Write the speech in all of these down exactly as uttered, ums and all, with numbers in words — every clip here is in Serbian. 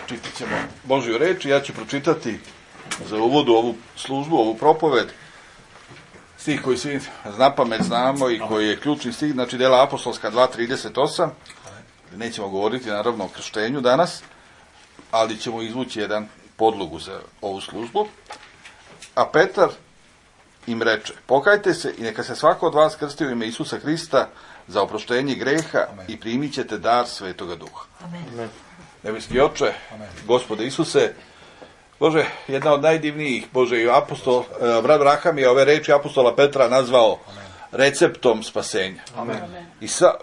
čitat ćemo Božju reč i ja ću pročitati za uvodu ovu službu, ovu propoved, stih koji svi napamet znamo i koji je ključni stih, znači Dela apostolska dva trideset osam. Nećemo govoriti naravno o krštenju danas, ali ćemo izvući jedan podlogu za ovu službu. A Petar im reče: pokajte se i neka se svako od vas krsti u ime Isusa Hrista za oproštenje greha. Amen. I primit ćete dar Svetoga Duha. Amen. Nebeski Oče, Amen. Gospode Isuse, Bože, jedna od najdivnijih, Bože, i apostol, brat Braham je ove reči apostola Petra nazvao Amen. Receptom spasenja. Amen. I sa,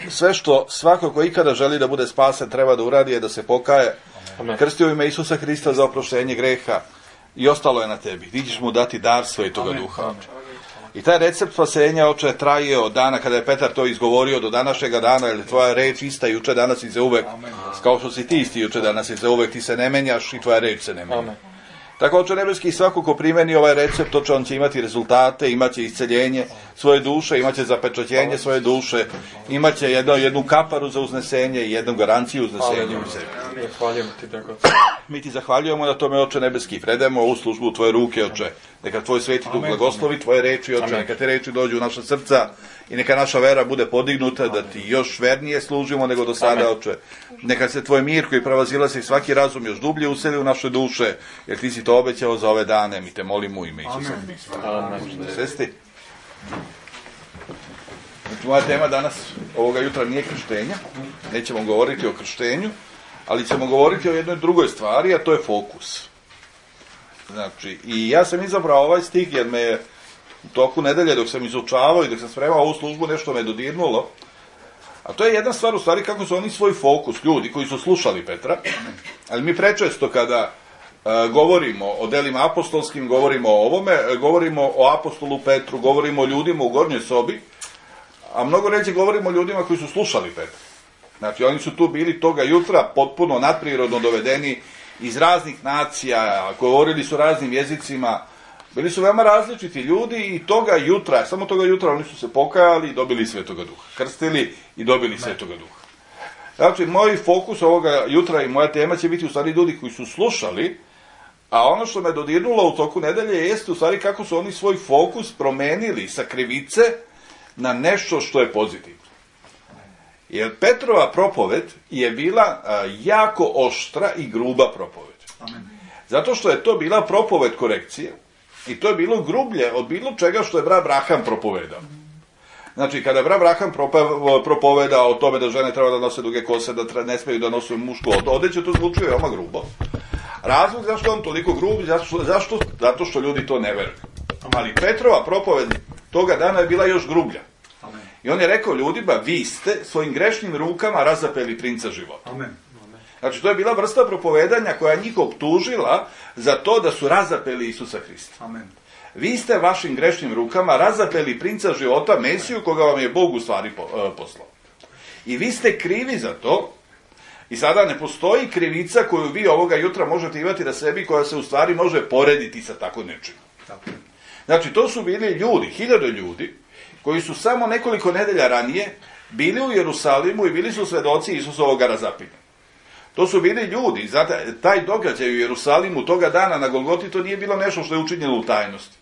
sve što svako ko ikada želi da bude spasen treba da uradi je da se pokaje, Amen. Krsti u ime Isusa Hrista za oproštenje greha i ostalo je na tebi. Ti ćeš mu dati dar Svetoga Amen. Duha. Amen. I taj recept spasenja, Oče, traje od dana kada je Petar to izgovorio do današnjega dana, jer tvoja reč ista juče, danas i za uvek. Amen. Kao što si ti isti juče, danas i za uvek, ti se ne menjaš i tvoja reč se ne menja. Amen. Tako, Oče nebeski, svako ko primeni ovaj recept, Oče, on će imati rezultate, imaće isceljenje svoje duše, imaće zapečaćenje svoje duše, imaće jedno, jednu kaparu za uznesenje i jednu garanciju uznesenja u sebi. Zahvaljujemo ti, tako. Mi ti zahvaljujemo na tome, Oče nebeski, predajemo ovu službu u tvoje ruke, Oče. Neka tvoj Sveti Duh blagoslovi tvoje reči, Oče, neka te reči dođu u naša srca i neka naša vera bude podignuta, da ti još vernije služimo nego do sada, Oče. Neka se tvoj mir koji prevazilazi svaki razum još dublje useli u naše duše, jer ti si to obećao za ove dane. Mi te molimo u ime Isusa Hrista. Svesti. Znači, moja tema danas, ovoga jutra, nije krštenja. Nećemo govoriti o krštenju, ali ćemo govoriti o jednoj drugoj stvari, a to je fokus. Znači, i ja sam izabrao ovaj stih jer me je u toku nedelje, dok sam izučavao i dok sam spremao ovu službu, nešto me dodirnulo. A to je jedna stvar, u stvari, kako su oni svoj fokus, ljudi koji su slušali Petra. Ali mi prečesto kada e, govorimo o delima apostolskim, govorimo o ovome, govorimo o apostolu Petru, govorimo o ljudima u gornjoj sobi, a mnogo ređe govorimo o ljudima koji su slušali Petra. Znači, oni su tu bili toga jutra potpuno nadprirodno dovedeni iz raznih nacija, govorili su raznim jezicima, bili su veoma različiti ljudi i toga jutra, samo toga jutra oni su se pokajali i dobili Svetoga Duha. Krstili i dobili Svetoga Duha. Znači, moj fokus ovoga jutra i moja tema će biti u stvari ljudi koji su slušali, a ono što me dodirnulo u toku nedelje jeste u stvari kako su oni svoj fokus promenili sa krivice na nešto što je pozitivno. Jer Petrova propoved je bila a, jako oštra i gruba propoved. Amen. Zato što je to bila propoved korekcije i to je bilo grublje od bilo čega što je brat Braham propovedao. Znači, kada je brat Braham propovedao o tome da žene treba da nose duge kose, da tra, ne smeju da nose mušku odeću, to zvuči veoma grubo. Razlog zašto on toliko grub, zašto, zašto? Zato što ljudi to ne veruju. Ali Petrova propoved toga dana je bila još grublja. I on je rekao ljudima: vi ste svojim grešnim rukama razapeli princa života. Amen. Znači, to je bila vrsta propovedanja koja je njih optužila za to da su razapeli Isusa Hrista. Amen. Vi ste vašim grešnim rukama razapeli princa života, Mesiju, koga vam je Bog u stvari poslao. I vi ste krivi za to. I sada ne postoji krivica koju vi ovoga jutra možete imati na sebi, koja se u stvari može porediti sa tako nečim. Znači, to su bili ljudi, hiljade ljudi, koji su samo nekoliko nedelja ranije bili u Jerusalimu i bili su svedoci Isusovog razapinja. To su bili ljudi, znate, taj događaj u Jerusalimu toga dana na Golgoti, to nije bilo nešto što je učinjeno u tajnosti.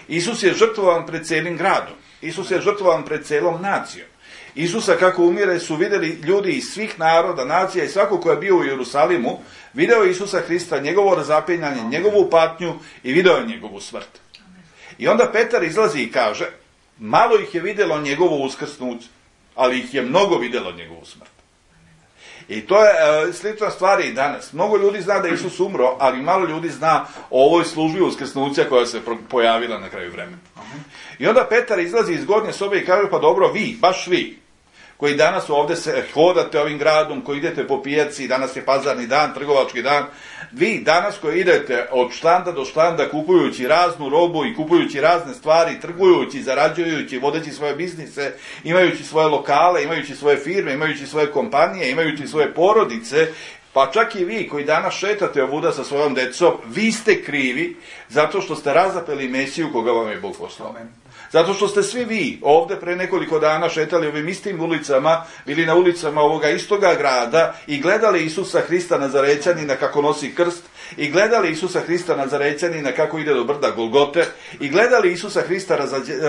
Isus je žrtvovan pred celim gradom. Isus je žrtvovan pred celom nacijom. Isusa kako umire su vidjeli ljudi iz svih naroda, nacija i svako ko je bio u Jerusalimu, video Isusa Hrista, njegovo razapinjanje, njegovu patnju i video je njegovu smrt. I onda Petar izlazi i kaže: malo ih je vidjelo njegovu uskrsnuće, ali ih je mnogo vidjelo njegovu smrt. I to je e, slična stvar i danas. Mnogo ljudi zna da je Isus umro, ali malo ljudi zna o ovoj službi uskrsnuća koja se pojavila na kraju vremena. I onda Petar izlazi iz gornje sobe i kaže: pa dobro, vi, baš vi, koji danas ovdje se hodate ovim gradom, koji idete po pijaci, danas je pazarni dan, trgovački dan, vi danas koji idete od štanda do štanda kupujući raznu robu i kupujući razne stvari, trgujući, zarađujući, vodeći svoje biznise, imajući svoje lokale, imajući svoje firme, imajući svoje kompanije, imajući svoje porodice, pa čak i vi koji danas šetate ovuda sa svojom decom, vi ste krivi zato što ste razapeli Mesiju koga vam je Bog poslao. Zato što ste svi vi ovde pre nekoliko dana šetali ovim istim ulicama, bili na ulicama ovoga istoga grada i gledali Isusa Hrista Nazarećanina kako nosi krst, i gledali Isusa Hrista Nazarećanina kako ide do brda Golgote, i gledali Isusa Hrista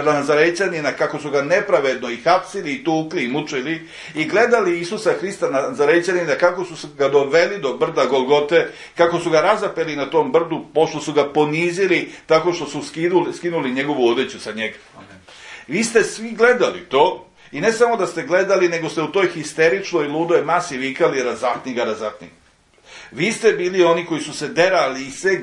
Nazarećanina kako su ga nepravedno i hapsili, i tukli, i mučili, i gledali Isusa Hrista Nazarećanina kako su ga doveli do brda Golgote, kako su ga razapeli na tom brdu, pošto su ga ponizili tako što su skinuli, skinuli njegovu odeću sa njega. Amen. Vi ste svi gledali to, i ne samo da ste gledali, nego ste u toj histeričnoj, ludoj masi vikali razapni ga, razapni. Vi ste bili oni koji su se derali i sve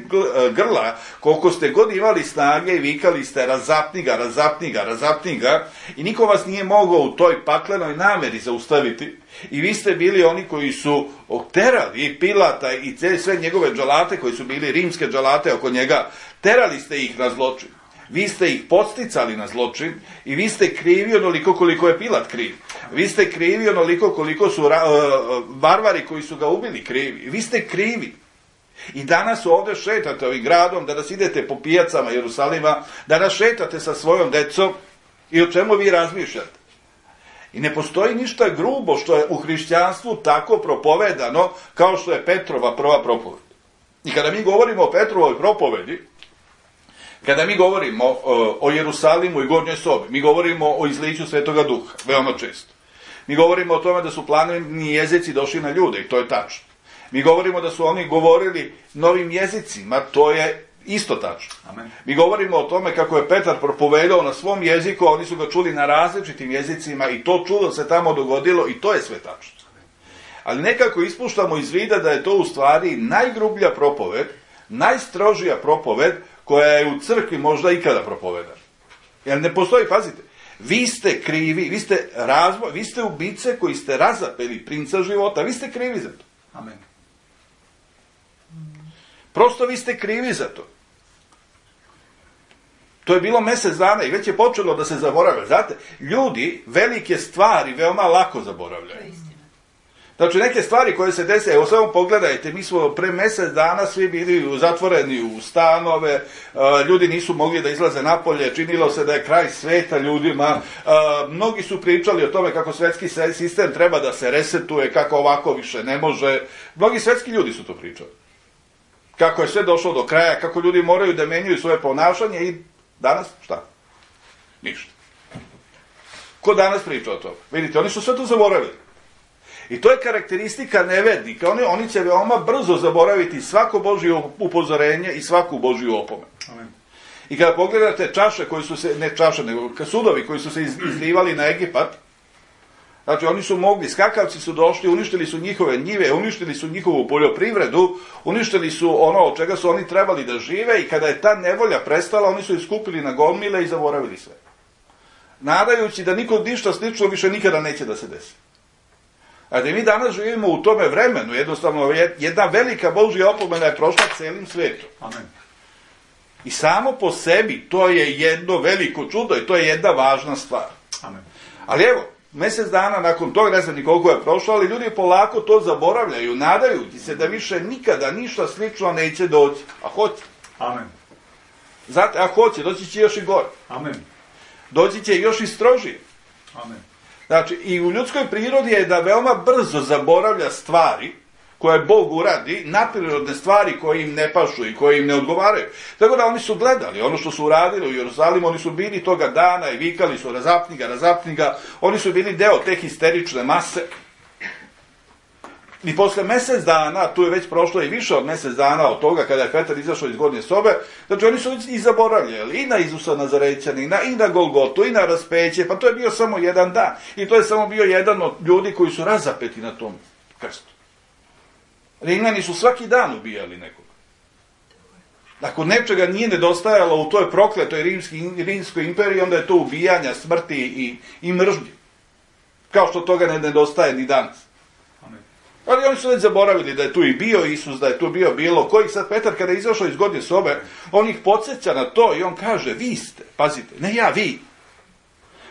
grla, koliko ste god imali snage i vikali ste razapni ga, razapni ga, razapni ga, i niko vas nije mogao u toj paklenoj nameri zaustaviti. I vi ste bili oni koji su terali i Pilata i sve njegove dželate, koji su bili rimske dželate oko njega, terali ste ih na zločin. Vi ste ih podsticali na zločin i vi ste krivi onoliko koliko je Pilat kriv. Vi ste krivi onoliko koliko su ra, uh, varvari koji su ga ubili krivi. Vi ste krivi. I danas ovde šetate ovim gradom, danas idete po pijacama Jerusalima, danas šetate sa svojom decom i o čemu vi razmišljate. I ne postoji ništa grubo što je u hrišćanstvu tako propovedano kao što je Petrova prva propoved. I kada mi govorimo o Petrovoj propovedi, kada mi govorimo o, o Jerusalimu i gornjoj sobi, mi govorimo o izliću Svetoga Duha, veoma često. Mi govorimo o tome da su planetni jezici došli na ljude, i to je tačno. Mi govorimo da su oni govorili novim jezicima, to je isto tačno. Amen. Mi govorimo o tome kako je Petar propovedao na svom jeziku, a oni su ga čuli na različitim jezicima, i to čudo se tamo dogodilo, i to je sve tačno. Ali nekako ispuštamo iz vida da je to u stvari najgrublja propoved, najstrožija propoved koja je u crkvi možda ikada propovedana. Jer ne postoji, pazite, vi ste krivi, vi ste razvoj, vi ste ubice koji ste razapeli princa života, vi ste krivi za to. Amen. Prosto vi ste krivi za to. To je bilo mesec dana i već je počelo da se zaboravlja. Znate, ljudi velike stvari veoma lako zaboravljaju. Znači, neke stvari koje se dese, evo samo pogledajte, mi smo pre mesec dana svi bili zatvoreni u stanove, ljudi nisu mogli da izlaze napolje, činilo se da je kraj sveta ljudima, mnogi su pričali o tome kako svetski sistem treba da se resetuje, kako ovako više ne može, mnogi svetski ljudi su to pričali. Kako je sve došlo do kraja, kako ljudi moraju da menjaju svoje ponašanje, i danas šta? Ništa. Ko danas priča o tome? Vidite, oni su sve to zaboravili. I to je karakteristika nevernika. Oni, oni će veoma brzo zaboraviti svako Božje upozorenje i svaku Božju opomenu. Amen. I kada pogledate čaše koji su se, ne čaše, nego sudovi koji su se izlivali na Egipat, znači oni su mogli, skakavci su došli, uništili su njihove njive, uništili su njihovu poljoprivredu, uništili su ono od čega su oni trebali da žive, i kada je ta nevolja prestala, oni su iskupili na gomile i zaboravili sve. Nadajući da niko ništa slično više nikada neće da se desi. A da mi danas živimo u tome vremenu, jednostavno jedna velika Božja opomena je prošla celim svetom. Amen. I samo po sebi to je jedno veliko čudo i to je jedna važna stvar. Amen. Ali evo, mesec dana nakon toga, ne znam ni koliko je prošlo, ali ljudi polako to zaboravljaju, nadajući se da više nikada ništa slično neće doći. A hoće. Amen. Znate, a hoće, doći će još i gore. Amen. Doći će još i strožije. Amen. Znači, i u ljudskoj prirodi je da veoma brzo zaboravlja stvari koje Bog uradi, naprirodne stvari koje im ne pašu i koje im ne odgovaraju. Tako da oni su gledali ono što su uradili u Jerusalimu, oni su bili toga dana i vikali su razapni ga, razapni ga, oni su bili deo te histerične mase. I posle mesec dana, tu je već prošlo i više od mesec dana od toga kada je Petar izašao iz gornje sobe, znači oni su i zaboravljali i na Isusa Nazarećanina, i na Golgotu, i na raspeće, pa to je bio samo jedan dan. I to je samo bio jedan od ljudi koji su razapeti na tom krstu. Rimljani su svaki dan ubijali nekoga. Ako nečega nije nedostajalo u toj prokletoj rimski, rimskoj imperiji, onda je to ubijanja, smrti i, i mržnje. Kao što toga ne nedostaje ni danas. Ali oni su već zaboravili da je tu i bio Isus, da je tu bio bilo koji. Sad Petar kada je izašao iz gornje sobe, on ih podsjeća na to i on kaže, vi ste, pazite, ne ja, vi.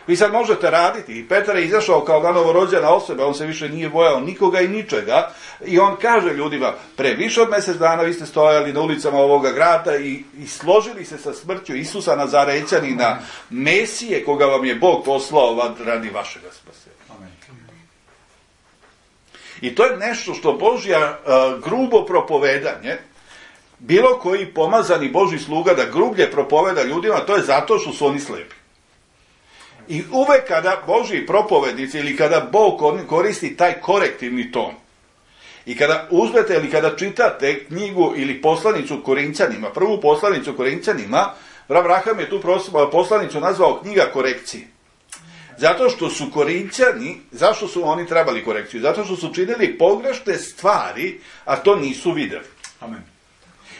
Vi sad možete raditi, i Petar je izašao kao novorođena osoba, on se više nije bojao nikoga i ničega, i on kaže ljudima, pre više od mjesec dana vi ste stojali na ulicama ovoga grada i, i složili se sa smrću Isusa Nazarećanina, Mesije koga vam je Bog poslao radi vašega spasenja. Amen. I to je nešto što Božja uh, grubo propovedanje, bilo koji pomazani Božji sluga da grublje propoveda ljudima, to je zato što su oni slepi. I uvek kada Božji propovednici ili kada Bog koristi taj korektivni ton i kada uzmete ili kada čitate knjigu ili poslanicu Korinćanima, prvu poslanicu Korinćanima, Abraham je tu poslanicu nazvao knjiga korekcije. Zato što su Korinćani, zašto su oni trebali korekciju? Zato što su činili pogrešne stvari, a to nisu videli. Amen.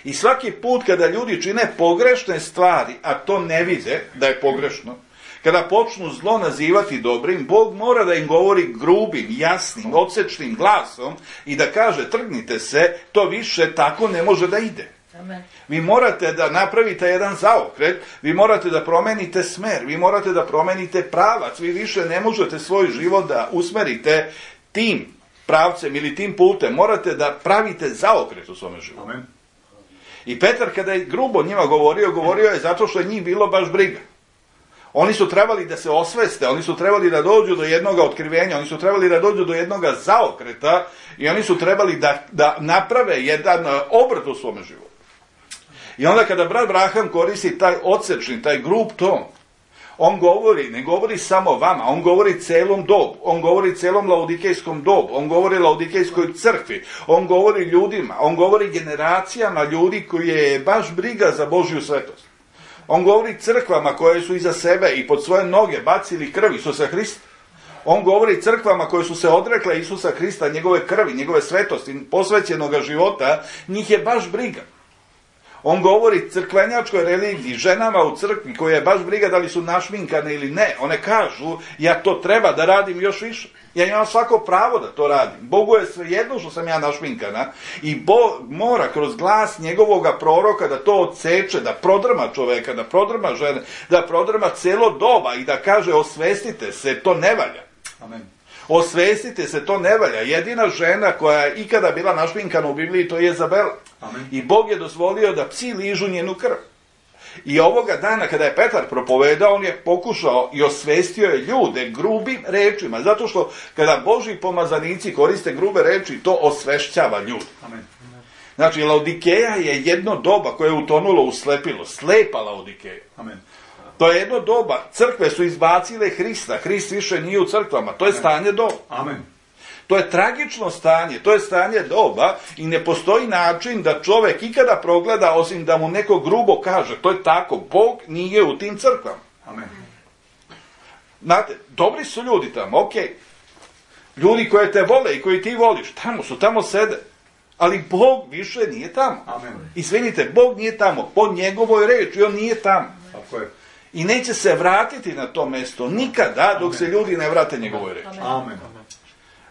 I svaki put kada ljudi čine pogrešne stvari, a to ne vide da je pogrešno, kada počnu zlo nazivati dobrim, Bog mora da im govori grubim, jasnim, odsečnim glasom i da kaže, trgnite se, to više tako ne može da ide. Amen. Vi morate da napravite jedan zaokret, vi morate da promenite smer, vi morate da promenite pravac, vi više ne možete svoj život da usmerite tim pravcem ili tim putem, morate da pravite zaokret u svome životu. Amen. I Petar kada je grubo njima govorio, govorio je zato što je njih bilo baš briga. Oni su trebali da se osveste, oni su trebali da dođu do jednog otkrivenja, oni su trebali da dođu do jednog zaokreta i oni su trebali da, da naprave jedan obrt u svome životu. I onda kada brat Abraham koristi taj odsečni, taj grub ton, on govori, ne govori samo vama, on govori celom dobu, on govori celom laodikejskom dobu, on govori laodikejskoj crkvi, on govori ljudima, on govori generacijama ljudi koji je baš briga za Božju svetost. On govori crkvama koje su iza sebe i pod svoje noge bacili krv Isusa Hrista. On govori crkvama koje su se odrekle Isusa Hrista, njegove krvi, njegove svetosti, posvećenoga života, njih je baš briga. On govori crkvenjačkoj religiji, ženama u crkvi koje je baš briga da li su našminkane ili ne. One kažu, ja to treba da radim još više. Ja imam svako pravo da to radim. Bogu je svejedno što sam ja našminkana i Bog mora kroz glas njegovoga proroka da to odseče, da prodrma čoveka, da prodrma žene, da prodrma celo doba i da kaže osvestite se, to ne valja. Amen. Osvestite se, to ne valja. Jedina žena koja je ikada bila našminkana u Bibliji, to je Jezabela. Amen. I Bog je dozvolio da psi ližu njenu krv. I ovoga dana kada je Petar propovedao, on je pokušao i osvestio je ljude grubim rečima. Zato što kada Božji pomazanici koriste grube reči, to osvešćava ljudi. Amen. Znači, Laodikeja je jedno doba koje je utonulo u slepilo. Slepa Laodikeja. Amen. To je jedno doba. Crkve su izbacile Hrista. Hrist više nije u crkvama. To je stanje doba. Amen. To je tragično stanje, to je stanje doba i ne postoji način da čovek ikada progleda osim da mu neko grubo kaže, to je tako, Bog nije u tim crkvama. Amen. Znate, dobri su ljudi tamo, okej. Okay. Ljudi koje te vole i koji ti voliš, tamo su, tamo sede. Ali Bog više nije tamo. Amen. Izvinite, Bog nije tamo, po njegovoj reči, on nije tamo. Tako je. I neće se vratiti na to mesto nikada dok se ljudi ne vrate njegovoj reči. Amen.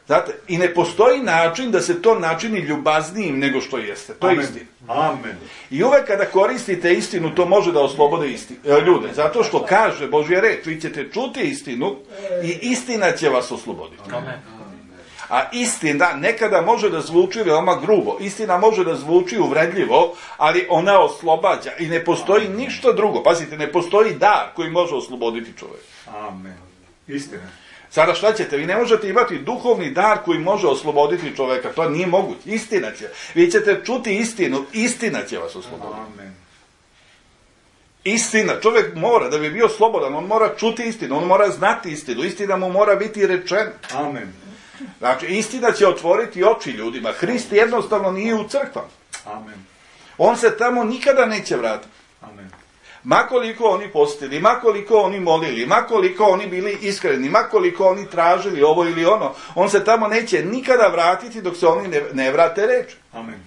Znate, i ne postoji način da se to načini ljubaznijim nego što jeste. To je Amen. istina. Amen. I uvek kada koristite istinu, to može da oslobode isti, ljude. Zato što kaže Božja reč, vi ćete čuti istinu i istina će vas osloboditi. Amen. A istina nekada može da zvuči veoma grubo. Istina može da zvuči uvredljivo, ali ona oslobađa. I ne postoji ništa drugo. Pazite, ne postoji dar koji može osloboditi čovjeka. Amen. Istina. Sada šta ćete? Vi ne možete imati duhovni dar koji može osloboditi čoveka. To nije moguće. Istina će. Vi ćete čuti istinu. Istina će vas osloboditi. Amen. Istina. Čovjek mora, da bi bio slobodan, on mora čuti istinu. On mora znati istinu. Istina mu mora biti rečena. Amen. Znači, istina će otvoriti oči ljudima. Hrist jednostavno nije u crkvama. Amen. On se tamo nikada neće vratiti. Amen. Makoliko oni postili, makoliko oni molili, makoliko oni bili iskreni, makoliko oni tražili ovo ili ono, on se tamo neće nikada vratiti dok se oni ne, ne vrate reči. Amen.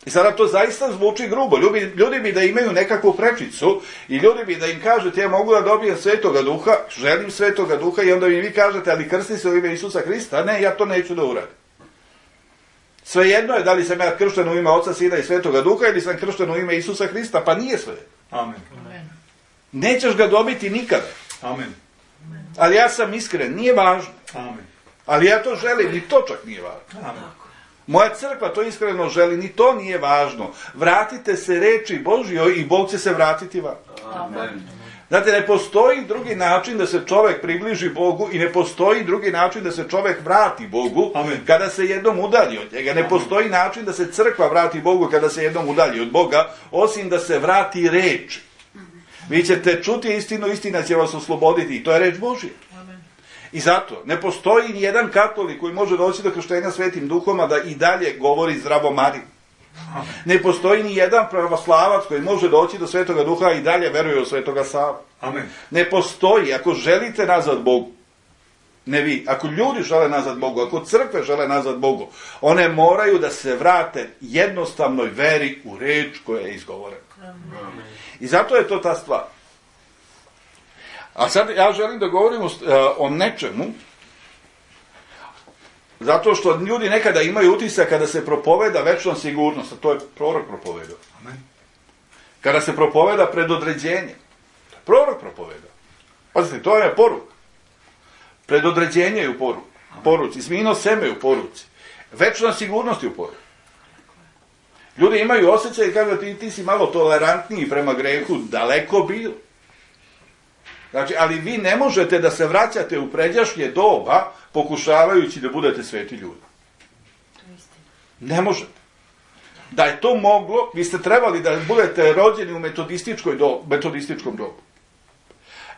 I sada to zaista zvuči grubo. Ljudi, ljudi bi da imaju nekakvu prečicu i ljudi bi da im kažete ja mogu da dobijem Svetoga Duha, želim Svetoga Duha i onda mi vi kažete ali krsti se u ime Isusa Hrista. Ne, ja to neću da uradim. Svejedno je da li sam ja kršten u ime Oca, Sina i Svetoga Duha ili sam kršten u ime Isusa Hrista, pa nije sve. Amen. Nećeš ga dobiti nikada. Amen. Ali ja sam iskren, nije važno. Amen. Ali ja to želim, ni to čak nije važno. Amen. Moja crkva to iskreno želi, ni to nije važno. Vratite se reči Božjoj i Bog će se vratiti vam. Amen. Znate, ne postoji drugi način da se čovjek približi Bogu i ne postoji drugi način da se čovjek vrati Bogu. Amen. Kada se jednom udalji od njega. Ne postoji način da se crkva vrati Bogu kada se jednom udalji od Boga, osim da se vrati reči. Vi ćete čuti istinu, istina će vas osloboditi i to je reč Božja. I zato ne postoji ni jedan katolik koji može doći do krštenja Svetim Duhom, a da i dalje govori zdravo Mariju. Ne postoji ni jedan pravoslavac koji može doći do Svetoga Duha i dalje veruje u Svetoga Savu. Amen. Ne postoji. Ako želite nazad Bogu, ne vi, ako ljudi žele nazad Bogu, ako crkve žele nazad Bogu, one moraju da se vrate jednostavnoj veri u reč koja je izgovorena. Amen. I zato je to ta stvar. A sad ja želim da govorim o, o nečemu, zato što ljudi nekada imaju utisak kada se propoveda večna sigurnost, a to je prorok propovedao. Amen. Kada se propoveda predodređenje, to je prorok propovedao. Pazite, to je poruka. Predodređenje je u poruci, poruci, smino seme je u poruci, večna sigurnost je u poruci. Ljudi imaju osjećaj i kažu ti, ti si malo tolerantniji prema grehu, daleko bilo. Znači, ali vi ne možete da se vraćate u pređašnje doba pokušavajući da budete sveti ljudi. Ne možete. Da je to moglo, vi ste trebali da budete rođeni u metodističkoj dobu, metodističkom dobu.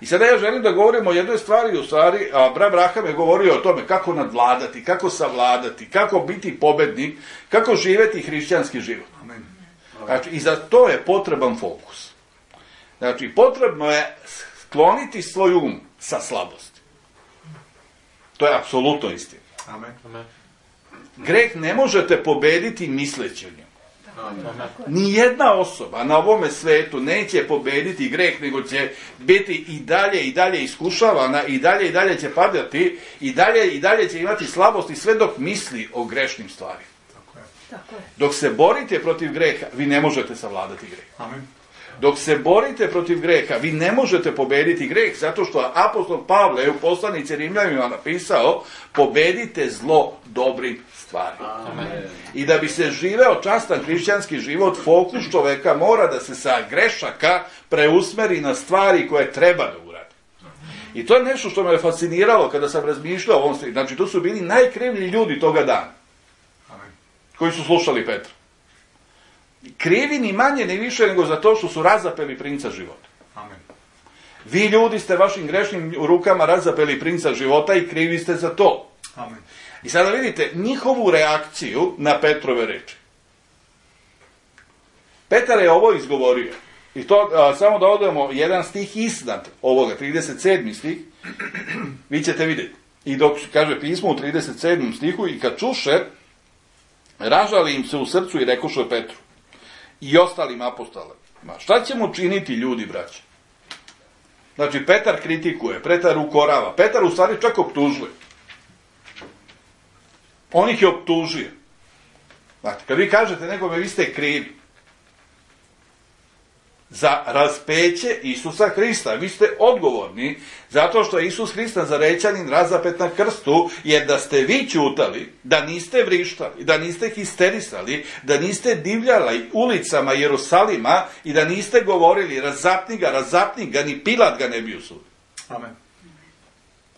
I sada ja želim da govorim o jednoj stvari, u stvari, a brat Braham je govorio o tome kako nadvladati, kako savladati, kako biti pobednik, kako živeti hrišćanski život. Amen. Znači, i za to je potreban fokus. Znači, potrebno je skloniti svoj um sa slabosti. To je apsolutno istina. Amen. Greh ne možete pobediti misleći o njemu. Nijedna osoba na ovome svetu neće pobediti greh, nego će biti i dalje i dalje iskušavana, i dalje i dalje će padati, i dalje i dalje će imati slabosti sve dok misli o grešnim stvarima. Tako je. Tako je. Dok se borite protiv greha, vi ne možete savladati greh. Amen. Dok se borite protiv greha, vi ne možete pobediti greh, zato što apostol Pavle je u poslanici Rimljanima napisao, pobedite zlo dobrim stvarima. Amen. I da bi se živeo častan hrišćanski život, fokus čoveka mora da se sa grešaka preusmeri na stvari koje treba da uradi. I to je nešto što me je fasciniralo kada sam razmišljao o ovom stvari. Znači, to su bili najkrivlji ljudi toga dana, Amen. koji su slušali Petra. Krivi ni manje ni više nego za to što su razapeli princa života. Amen. Vi ljudi ste vašim grešnim rukama razapeli princa života i krivi ste za to. Amen. I sada vidite njihovu reakciju na Petrove reči. Petar je ovo izgovorio. I to, a, samo da odemo jedan stih iznad ovoga, trideset sedmi stih, vi ćete vidjeti. I dok kaže pismo u trideset sedmom stihu, i kad čuše, ražali im se u srcu i rekoše Petru i ostalim apostolima, šta ćemo činiti ljudi, braće? Znači, Petar kritikuje, Petar ukorava, Petar u stvari čak optužuje. On ih je optužio. Znači, kad vi kažete nekome, vi ste krivi za raspeće Isusa Hrista. Vi ste odgovorni zato što je Isus Hrista zarećanin razapet na krstu, jer da ste vi ćutali, da niste vrištali, da niste histerisali, da niste divljali ulicama Jerusalima i da niste govorili razapni ga, razapni ga, ni Pilat ga ne bi osudio. Amen.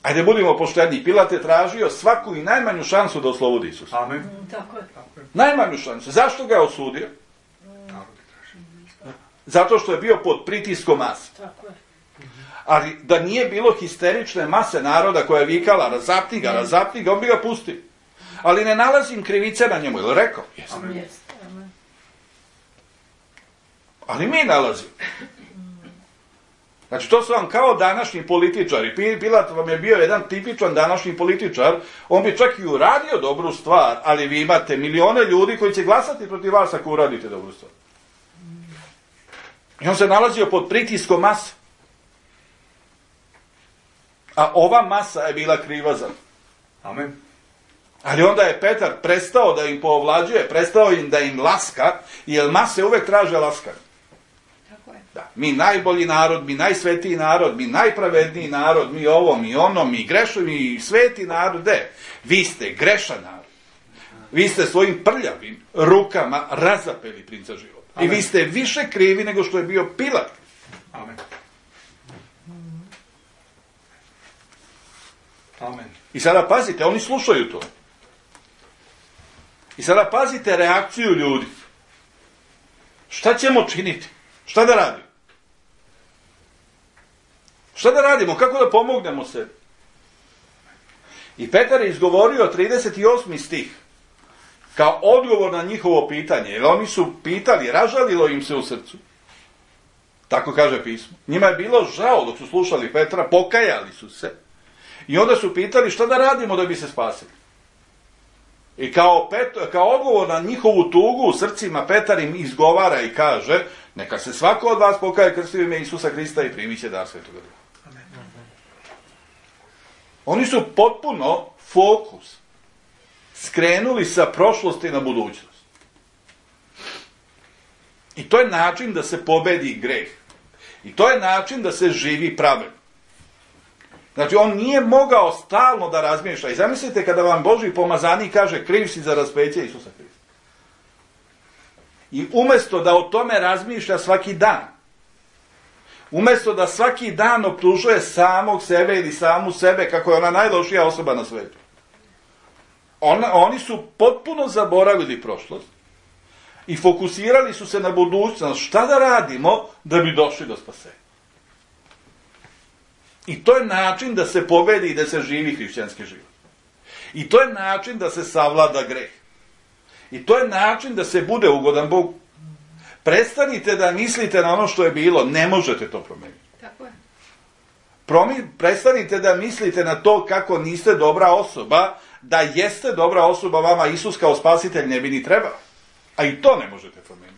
Ajde, budimo pošteni. Pilat je tražio svaku i najmanju šansu da oslobodi Isusa. Amen. Tako je. Tako je. Najmanju šansu. Zašto ga je osudio? Narod traži. Zato što je bio pod pritiskom mase. Tako je. Ali da nije bilo histerične mase naroda koja je vikala razapni ga, razapni ga, on bi ga pustio. Ali ne nalazim krivice na njemu, je li rekao? Jesam. Amen. Jeste. Amen. Ali mi nalazimo. Znači, to su vam kao današnji političari. Pilat vam je bio jedan tipičan današnji političar. On bi čak i uradio dobru stvar, ali vi imate milione ljudi koji će glasati protiv vas ako uradite dobru stvar. I on se nalazio pod pritiskom mase. A ova masa je bila kriva za. Amen. Ali onda je Petar prestao da im povlađuje, prestao im da im laska, jer mase uvek traže laskanje. Tako je. Da, mi najbolji narod, mi najsvetiji narod, mi najpravedniji narod, mi ovo, mi ono, mi grešni, mi sveti narod. De, vi ste grešan narod. Vi ste svojim prljavim rukama razapeli princa života. Amen. I vi ste više krivi nego što je bio Pilat. Amen. Amen. I sada pazite, oni slušaju to. I sada pazite reakciju ljudi. Šta ćemo činiti? Šta da radimo? Šta da radimo? Kako da pomognemo sebi? I Petar je izgovorio trideset osmi stih kao odgovor na njihovo pitanje. Jer oni su pitali, ražalilo im se u srcu. Tako kaže pismo. Njima je bilo žao dok su slušali Petra, pokajali su se. I onda su pitali šta da radimo da bi se spasili. I kao, Pet, kao odgovor na njihovu tugu u srcima Petar im izgovara i kaže, neka se svako od vas pokaje, krsti u ime Isusa Hrista i primit će dar Svetoga Duha. Oni su potpuno fokus skrenuli sa prošlosti na budućnost. I to je način da se pobedi greh. I to je način da se živi pravedno. Znači, on nije mogao stalno da razmišlja. I zamislite kada vam Božji pomazanik kaže kriv si za raspeće Isusa Hrista. I umjesto da o tome razmišlja svaki dan, umjesto da svaki dan optužuje samog sebe ili samu sebe kako je ona najlošija osoba na svijetu, on, oni su potpuno zaboravili prošlost i fokusirali su se na budućnost. Šta da radimo da bi došli do spasenja? I to je način da se pobedi i da se živi hrišćanski život. I to je način da se savlada greh. I to je način da se bude ugodan Bogu. Prestanite da mislite na ono što je bilo, ne možete to promijeniti. Tako je. Promi, prestanite da mislite na to kako niste dobra osoba, da jeste dobra osoba, vama Isus kao spasitelj ne bi ni trebao. A i to ne možete promijeniti.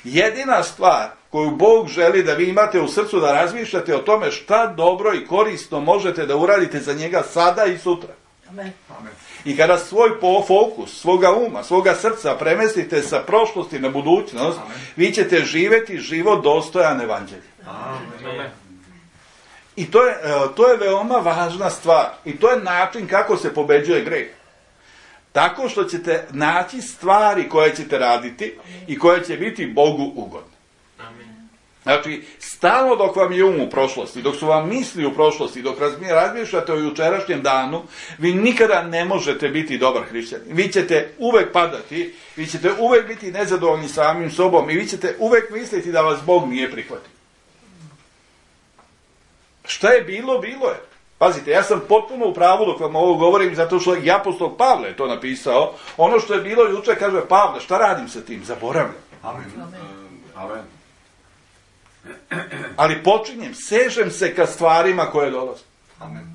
Jedina stvar koju Bog želi da vi imate u srcu, da razmišljate o tome šta dobro i korisno možete da uradite za njega sada i sutra. Amen. Amen. I kada svoj fokus, svoga uma, svoga srca premestite sa prošlosti na budućnost, amen, vi ćete živjeti život dostojan evanđelja. Amen. I to je, to je veoma važna stvar. I to je način kako se pobeđuje greh. Tako što ćete naći stvari koje ćete raditi i koje će biti Bogu ugodne. Znači, stalno dok vam je um u prošlosti, dok su vam misli u prošlosti, dok razmišljate o jučerašnjem danu, vi nikada ne možete biti dobar hrišćanin. Vi ćete uvek padati, vi ćete uvek biti nezadovoljni samim sobom i vi ćete uvek misliti da vas Bog nije prihvatio. Šta je bilo, bilo je. Pazite, ja sam potpuno u pravu dok vam ovo govorim, zato što i apostol Pavle je to napisao. Ono što je bilo juče, kaže Pavle, šta radim sa tim? Zaboravljam. Amen. Amen. Ali počinjem, sežem se ka stvarima koje dolaze. Amen.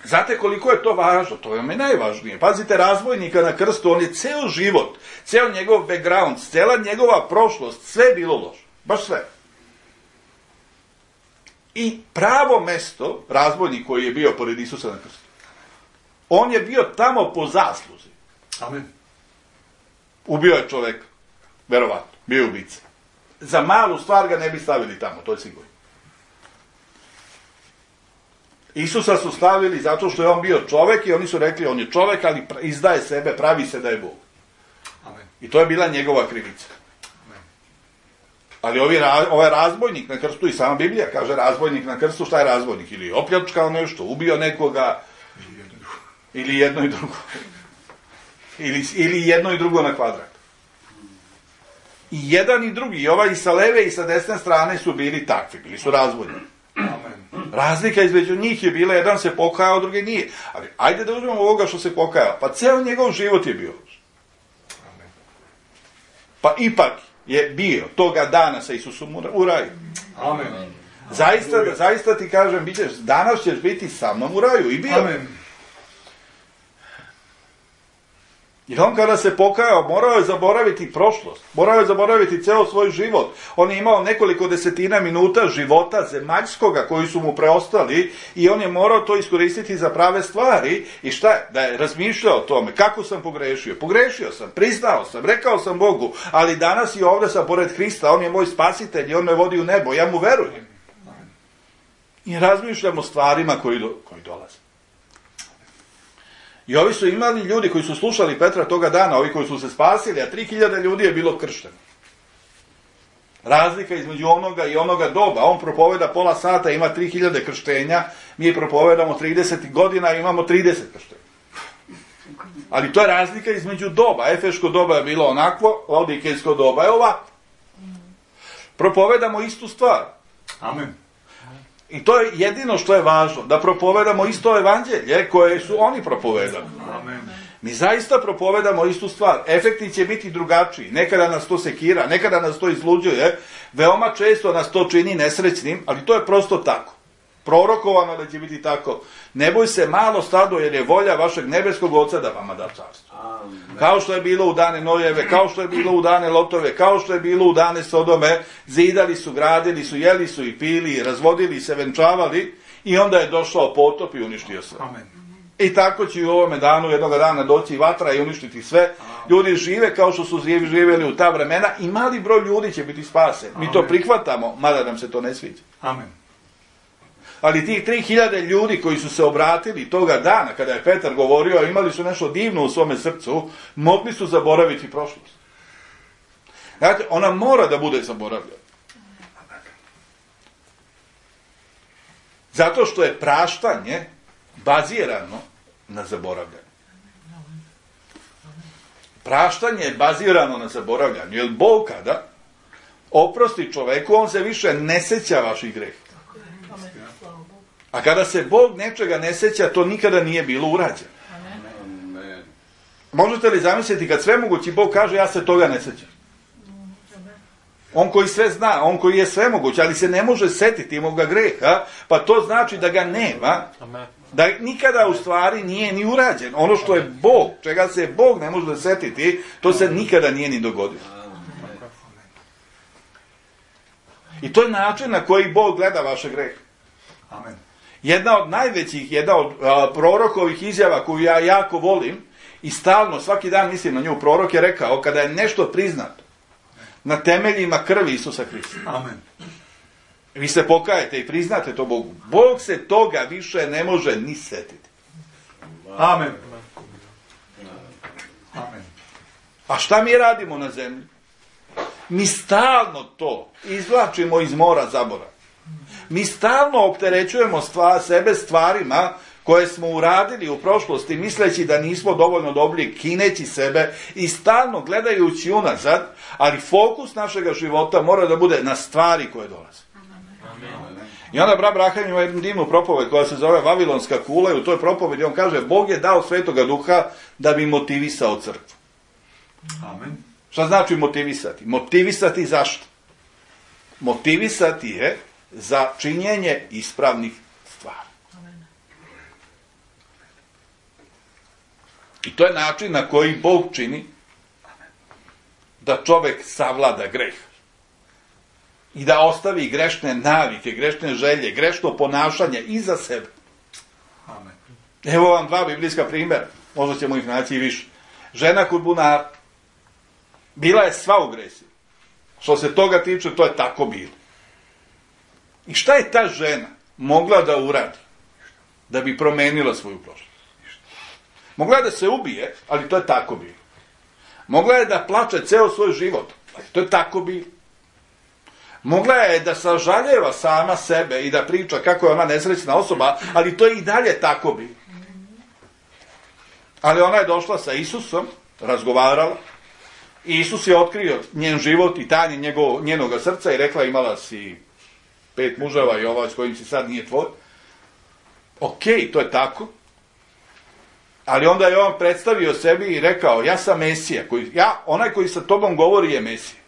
Znate koliko je to važno? To je mi najvažnije. Pazite, razbojnika na krstu, on je ceo život, ceo njegov background, cela njegova prošlost, sve je bilo loše. Baš sve. I pravo mesto, razbojnik koji je bio pored Isusa na krstu, on je bio tamo po zasluzi. Amen. Ubio je čoveka. Verovatno. Bio je ubica. Za malu stvar ga ne bi stavili tamo, to je sigurno. Isusa su stavili zato što je on bio čovek i oni su rekli on je čovek, ali izdaje sebe, pravi se da je Bog. Amen. I to je bila njegova krivica. Amen. Ali ovi, ovaj razbojnik na krstu, i sama Biblija kaže razbojnik na krstu, šta je razbojnik? Ili opljačkao nešto, ubio nekoga, ili jedno i drugo. Ili, ili jedno i drugo na kvadrat. I jedan i drugi, i ovaj i sa leve i sa desne strane su bili takvi, bili su razbojnici. Amen. Razlika između njih je bila, jedan se pokajao, drugi nije. Ali ajde da uzmemo ovoga što se pokajao. Pa ceo njegov život je bio. Amen. Pa ipak je bio toga dana sa Isusom u raju. Amen. Zaista, zaista ti kažem, bićeš, danas ćeš biti sa mnom u raju. I bio. Amen. Jer on kada se pokajao, morao je zaboraviti prošlost, morao je zaboraviti ceo svoj život. On je imao nekoliko desetina minuta života zemaljskoga koji su mu preostali i on je morao to iskoristiti za prave stvari. I šta je? Da je razmišljao o tome, kako sam pogrešio. Pogrešio sam, priznao sam, rekao sam Bogu, ali danas i ovdje sam pored Hrista, on je moj spasitelj i on me vodi u nebo, ja mu verujem. I razmišljam o stvarima koji, do, koji dolaze. I ovi su imali ljudi koji su slušali Petra toga dana, ovi koji su se spasili, a tri hiljade ljudi je bilo kršteno. Razlika između onoga i onoga doba. On propoveda pola sata, ima tri hiljade krštenja, mi propovedamo trideset godina i imamo trideset krštenja. Ali to je razlika između doba. Efeško doba je bilo onakvo, Laodikejsko doba je ovako. Propovedamo istu stvar. Amen. I to je jedino što je važno, da propovedamo isto evanđelje koje su oni propovedali. Amen. Mi zaista propovedamo istu stvar. Efekti će biti drugačiji. Nekada nas to sekira, nekada nas to izluđuje, veoma često nas to čini nesrećnim, ali to je prosto tako. Prorokovano da će biti tako. Ne boj se malo stado, jer je volja vašeg nebeskog Oca da vama da carstvo. Kao što je bilo u dane Nojeve, kao što je bilo u dane Lotove, kao što je bilo u dane Sodome, zidali su, gradili su, jeli su i pili, razvodili se, venčavali i onda je došao potop i uništio sve. Amen. I tako će i u ovome danu jednoga dana doći vatra i uništiti sve. Ljudi žive kao što su živjeli u ta vremena i mali broj ljudi će biti spasen. Mi to prihvatamo, mada nam se to ne sviđa. Amen. Ali tih tri hiljade ljudi koji su se obratili toga dana, kada je Petar govorio, a imali su nešto divno u svome srcu, mogli su zaboraviti prošlost. Znate, ona mora da bude zaboravljena. Zato što je praštanje bazirano na zaboravljanju. Praštanje je bazirano na zaboravljanju, jer Bog kada oprosti čoveku, on se više ne seća vaših greha. A kada se Bog nečega ne seća, to nikada nije bilo urađeno. Amen. Možete li zamisliti kad svemogući Bog kaže ja se toga ne sećam? On koji sve zna, on koji je svemoguć, ali se ne može setiti moga greha, pa to znači da ga nema, da nikada u stvari nije ni urađen. Ono što je Bog, čega se Bog ne može setiti, to se nikada nije ni dogodilo. I to je način na koji Bog gleda vaše grehe. Amen. Jedna od najvećih, jedna od a, prorokovih izjava koju ja jako volim i stalno, svaki dan mislim na nju, prorok je rekao, kada je nešto priznato na temeljima krvi Isusa Hrista. Amen. Vi se pokajete i priznate to Bogu. Bog se toga više ne može ni setiti. Amen. Amen. A šta mi radimo na zemlji? Mi stalno to izvlačimo iz mora zaborava. Mi stalno opterećujemo stvar, sebe stvarima koje smo uradili u prošlosti, misleći da nismo dovoljno dobri, kineći sebe i stalno gledajući unazad, ali fokus našega života mora da bude na stvari koje dolaze. I onda brat Braham ima jednu divnu propoved koja se zove Vavilonska kula i u toj propovedi on kaže Bog je dao Svetoga Duha da bi motivisao crkvu. Amen. Šta znači motivisati? Motivisati zašto? Motivisati je za činjenje ispravnih stvari. I to je način na koji Bog čini da čovek savlada greh. I da ostavi grešne navike, grešne želje, grešno ponašanje iza sebe. Amen. Evo vam dva biblijska primjera. Možda ćemo ih naći i više. Žena kod bunara. Bila je sva u gresi. Što se toga tiče, to je tako bilo. I šta je ta žena mogla da uradi da bi promenila svoju prošlost? Mogla je da se ubije, ali to je tako bilo. Mogla je da plače ceo svoj život, ali to je tako bilo. Mogla je da sažaljeva sama sebe i da priča kako je ona nesrećna osoba, ali to je i dalje tako bilo. Ali ona je došla sa Isusom, razgovarala, i Isus je otkrio njen život i tajne njegov, njenoga srca i rekla imala si pet muževa i ovaj s kojim si sad nije tvoj. Okej, to je tako. Ali onda je on predstavio sebi i rekao, ja sam Mesija, koji, ja, onaj koji sa tobom govori je Mesija.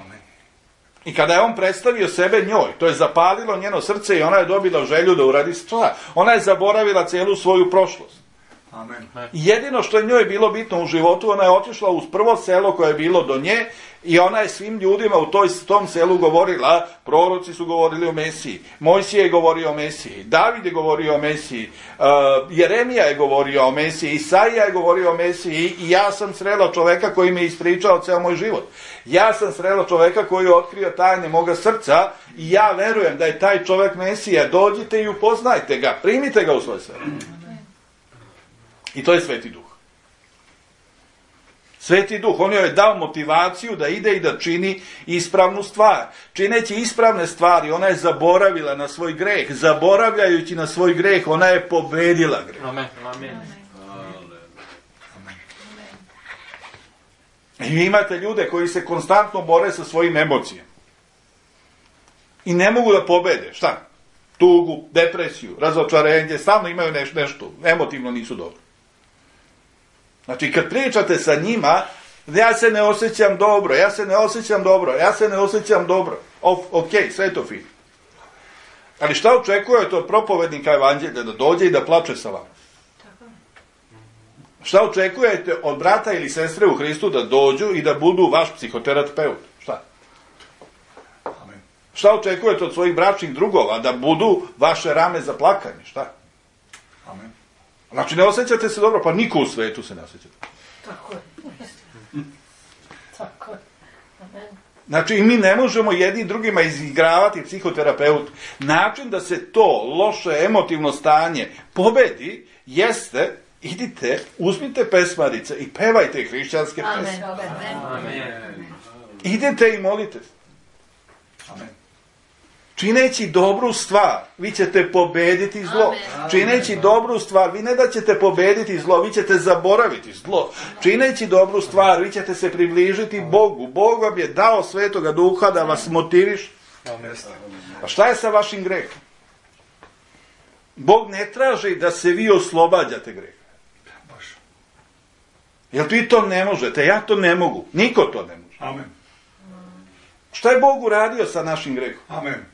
Amen. I kada je on predstavio sebe njoj, to je zapalilo njeno srce i ona je dobila želju da uradi stvar. Ona je zaboravila celu svoju prošlost. Amen. Jedino što je njoj bilo bitno u životu, ona je otišla uz prvo selo koje je bilo do nje i ona je svim ljudima u toj, tom selu govorila, proroci su govorili o Mesiji, Mojsije je govorio o Mesiji, David je govorio o Mesiji, uh, Jeremija je govorio o Mesiji, Isaija je govorio o Mesiji i ja sam srela čoveka koji mi je ispričao ceo moj život. Ja sam srela čoveka koji je otkrio tajne moga srca i ja verujem da je taj čovek Mesija. Dođite i upoznajte ga, primite ga u svoj selo. I to je Sveti Duh. Sveti Duh, on joj je dao motivaciju da ide i da čini ispravnu stvar. Čineći ispravne stvari, ona je zaboravila na svoj greh. Zaboravljajući na svoj greh, ona je pobedila greh. Amen. Amen. I vi imate ljude koji se konstantno bore sa svojim emocijama. I ne mogu da pobede. Šta? Tugu, depresiju, razočarenje, stalno imaju neš, nešto. Emotivno nisu dobri. Znači, kad pričate sa njima, ja se ne osjećam dobro, ja se ne osjećam dobro, ja se ne osjećam dobro. O, ok, sve je to fino. Ali šta očekujete od propovednika evanđelja? Da dođe i da plače sa vama? Šta očekujete od brata ili sestre u Hristu da dođu i da budu vaš psihoterapeut? Šta? Amen. Šta očekujete od svojih bračnih drugova? Da budu vaše rame za plakanje? Šta? Amen. Znači, ne osjećate se dobro, pa niko u svetu se ne osjećate. Tako je. Tako je. Amen. Znači, i mi ne možemo jedni drugima izigravati psihoterapeut. Način da se to loše emotivno stanje pobedi jeste, idite, uzmite pesmarice i pevajte hrišćanske pesme. Amen. Amen. Idete i molite se. Amen. Čineći dobru stvar, vi ćete pobediti zlo. Amen. Čineći dobru stvar, vi ne da ćete pobediti zlo, vi ćete zaboraviti zlo. Čineći dobru stvar, vi ćete se približiti Bogu. Bog vam je dao Svetoga Duha da vas motiviš. A šta je sa vašim grehom? Bog ne traži da se vi oslobađate greha. Jer vi to ne možete, ja to ne mogu. Niko to ne može. Amen. Šta je Bog uradio sa našim grehom? Amen.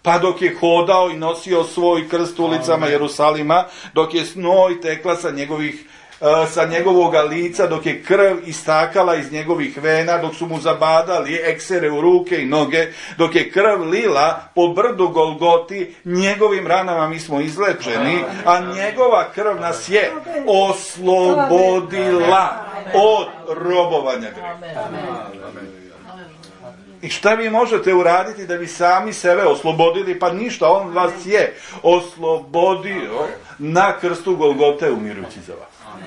Pa dok je hodao i nosio svoj krst ulicama Amen. Jerusalima, dok je snoj tekla sa njegovih uh, sa njegovoga lica, dok je krv istakala iz njegovih vena, dok su mu zabadali eksere u ruke i noge, dok je krv lila po brdu Golgoti, njegovim ranama mi smo izlečeni, a njegova krv nas je oslobodila od robovanja greha. I šta vi možete uraditi da bi sami sebe oslobodili? Pa ništa, on vas je oslobodio na krstu Golgote umirujući za vas.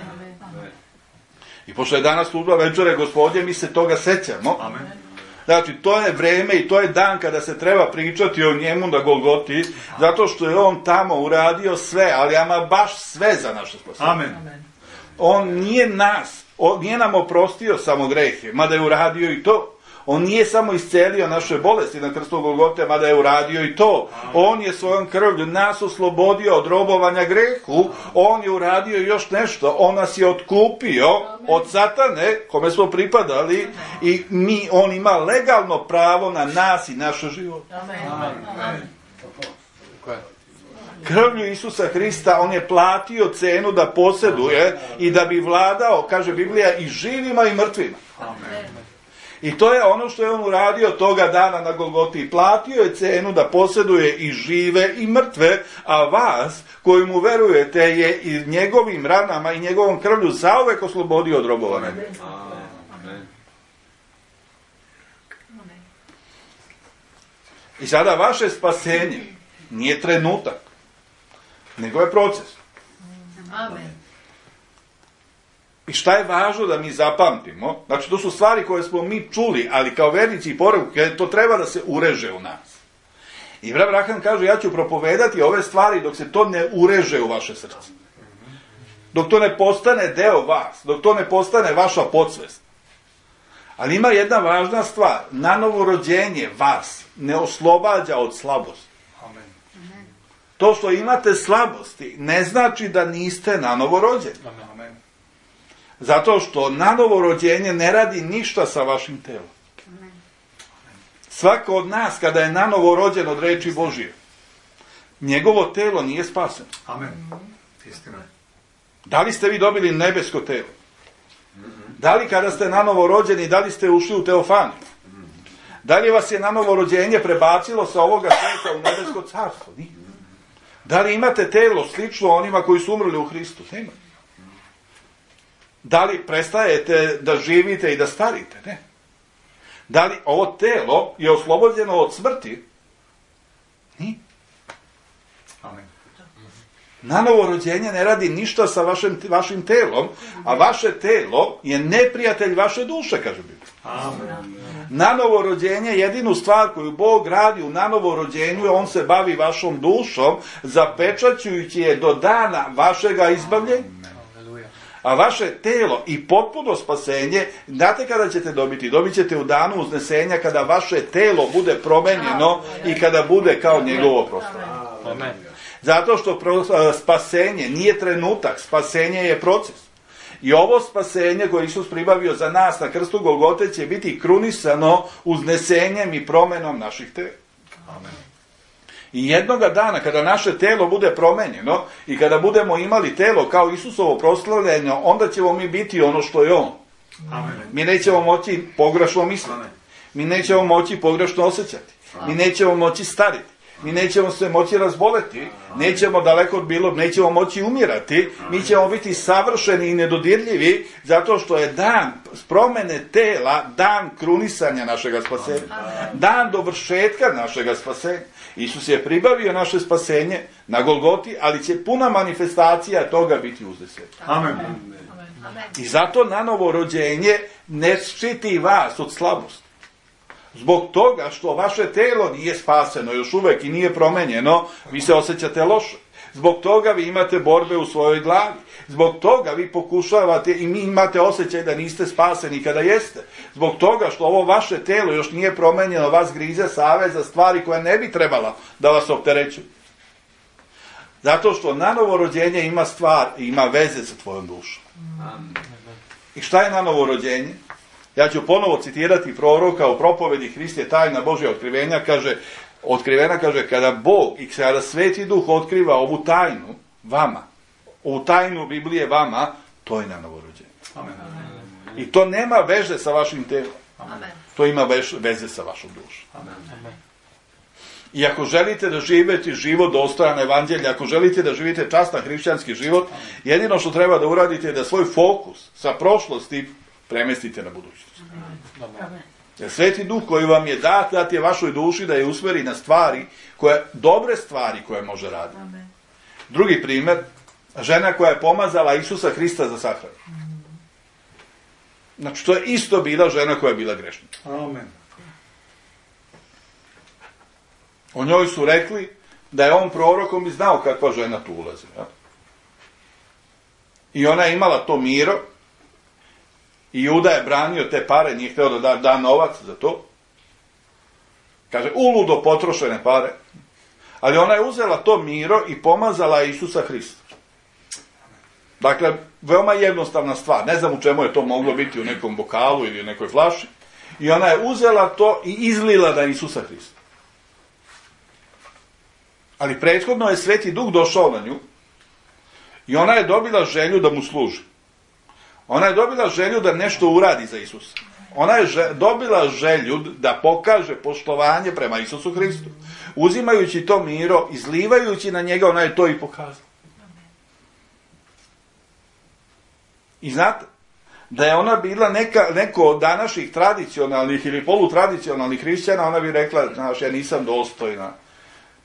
I pošto je danas služba večere Gospodnje, mi se toga sećamo. Znači, to je vreme i to je dan kada se treba pričati o njemu na Golgoti, zato što je on tamo uradio sve, ali ama baš sve za naše spasenje. Amen. On nije nas, on nije nam oprostio samo grehe, mada je uradio i to. On nije samo iscelio naše bolesti na krstu Golgote, mada je uradio i to. On je svojom krvlju nas oslobodio od robovanja grehu. On je uradio još nešto. On nas je otkupio od satane, kome smo pripadali, i mi, on ima legalno pravo na nas i naše živote. Krvlju Isusa Hrista on je platio cenu da posjeduje i da bi vladao, kaže Biblija, i živima i mrtvima. I to je ono što je on uradio toga dana na Golgoti. Platio je cenu da posjeduje i žive i mrtve, a vas koji mu verujete je i njegovim ranama i njegovom krvlju zauvek oslobodio od robovanja. I sada vaše spasenje nije trenutak, nego je proces. Amen. I šta je važno da mi zapamtimo? Znači, to su stvari koje smo mi čuli, ali kao vernici i poruke, to treba da se ureže u nas. I brat Branham kaže, ja ću propovedati ove stvari dok se to ne ureže u vaše srce. Dok to ne postane deo vas, dok to ne postane vaša podsvest. Ali ima jedna važna stvar, nanovo rođenje vas ne oslobađa od slabosti. To što imate slabosti ne znači da niste nanovo rođeni. Amen. Zato što nanovo rođenje ne radi ništa sa vašim telom. Svako od nas kada je nanovo rođen od reči Božije, njegovo telo nije spaseno. Amen. Istina. Da li ste vi dobili nebesko telo? Da li kada ste nanovo rođeni, da li ste ušli u teofaniju? Da li vas je nanovo rođenje prebacilo sa ovoga svijeta u nebesko carstvo? Nije. Da li imate telo slično onima koji su umrli u Hristu? Nema. Da li prestajete da živite i da starite? Ne. Da li ovo telo je oslobođeno od smrti? Nije. Amen. Nanovo rođenje ne radi ništa sa vašim, vašim telom, a vaše telo je neprijatelj vaše duše, kaže Biblija. Amen. Nanovo rođenje, jedinu stvar koju Bog radi u nanovo rođenju, on se bavi vašom dušom, zapečaćujući je do dana vašega izbavljenja. A vaše telo i potpuno spasenje, znate kada ćete dobiti? Dobit ćete u danu uznesenja kada vaše telo bude promenjeno i kada bude kao njegovo proslavljeno. Amen. Zato što spasenje nije trenutak, spasenje je proces. I ovo spasenje koje Isus pribavio za nas na krstu Golgote će biti krunisano uznesenjem i promenom naših tela. Amen. I jednoga dana kada naše telo bude promenjeno i kada budemo imali telo kao Isusovo proslavljeno, onda ćemo mi biti ono što je on. Amen. Mi nećemo moći pogrešno misliti. Mi nećemo moći pogrešno osjećati. Mi nećemo moći stariti. Mi nećemo se moći razboleti, nećemo daleko od bilo, nećemo moći umirati, mi ćemo biti savršeni i nedodirljivi, zato što je dan promene tela, dan krunisanja našega spasenja, dan dovršetka našega spasenja. Isus je pribavio naše spasenje na Golgoti, ali će puna manifestacija toga biti uzdesena. Amen. I zato nanovo rođenje ne štiti vas od slabosti. Zbog toga što vaše telo nije spaseno još uvek i nije promenjeno, vi se osjećate loše. Zbog toga vi imate borbe u svojoj glavi. Zbog toga vi pokušavate i mi imate osjećaj da niste spaseni kada jeste. Zbog toga što ovo vaše telo još nije promenjeno, vas grize savez za stvari koje ne bi trebala da vas opterećuju. Zato što nanovo rođenje ima stvar i ima veze sa tvojom dušom. I šta je nanovo rođenje? Ja ću ponovo citirati proroka u propovedi Hrist je tajna Božja otkrivenja, kaže, otkrivena kaže, kada Bog i kada Sveti Duh otkriva ovu tajnu vama, ovu tajnu Biblije vama, to je nanovo rođenje. Amen. I to nema veze sa vašim telom. Amen. To ima veze sa vašom dušom. Amen. I ako želite da živite život dostojan evanđelja, ako želite da živite častan hrišćanski život, jedino što treba da uradite je da svoj fokus sa prošlosti premestite na budućnost. Amen. Jer Sveti Duh koji vam je dat, dat je vašoj duši da je usmeri na stvari, koje, dobre stvari koje može raditi. Amen. Drugi primjer, žena koja je pomazala Isusa Hrista za sahranu. Znači, to je isto bila žena koja je bila grešnica. Amen. O njoj su rekli da je on prorokom i znao kakva žena tu ulazi. Ja? I ona je imala to miro, i Juda je branio te pare, nije htio da da, da novac za to. Kaže, uludo potrošene pare. Ali ona je uzela to miro i pomazala Isusa Hrista. Dakle, veoma jednostavna stvar. Ne znam u čemu je to moglo biti, u nekom bokalu ili u nekoj flaši. I ona je uzela to i izlila na Isusa Hrista. Ali prethodno je Sveti Duh došao na nju i ona je dobila želju da mu služi. Ona je dobila želju da nešto uradi za Isusa. Ona je že, dobila želju da pokaže poštovanje prema Isusu Hristu. Uzimajući to miro, izlivajući na njega, ona je to i pokazala. I znate, da je ona bila neka, neko od današnjih tradicionalnih ili polutradicionalnih hrišćana, ona bi rekla, znaš, ja nisam dostojna.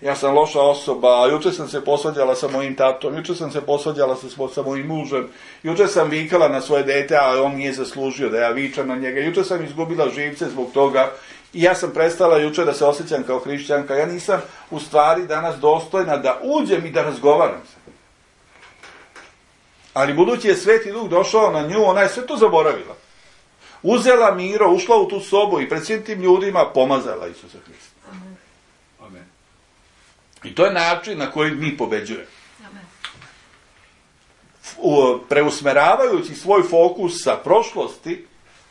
Ja sam loša osoba, juče sam se posvađala sa mojim tatom, juče sam se posvađala sa, sa mojim mužem, juče sam vikala na svoje dete, a on nije zaslužio da ja vičam na njega, juče sam izgubila živce zbog toga i ja sam prestala juče da se osjećam kao hrišćanka, ja nisam u stvari danas dostojna da uđem i da razgovaram se. Ali budući je Sveti Duh došao na nju, ona je sve to zaboravila. Uzela miro, ušla u tu sobu i pred svim tim ljudima pomazala Isusa Hrista. Amen. I to je način na koji mi pobeđujemo. Amen. Preusmeravajući svoj fokus sa prošlosti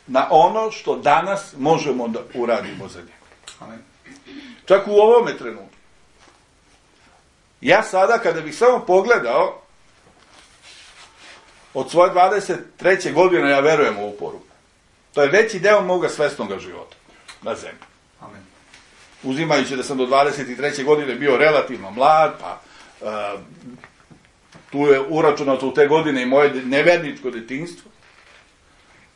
na ono što danas možemo da uradimo za njega. Amen. Čak u ovome trenutku. Ja sada, kada bih samo pogledao od svoje dvadeset treće godine ja verujem u ovu poruku. To je veći deo moga svesnog života na zemlji. Amen. Uzimajući da sam do dvadeset treće godine bio relativno mlad, pa uh, tu je uračunato u te godine i moje neverničko detinjstvo.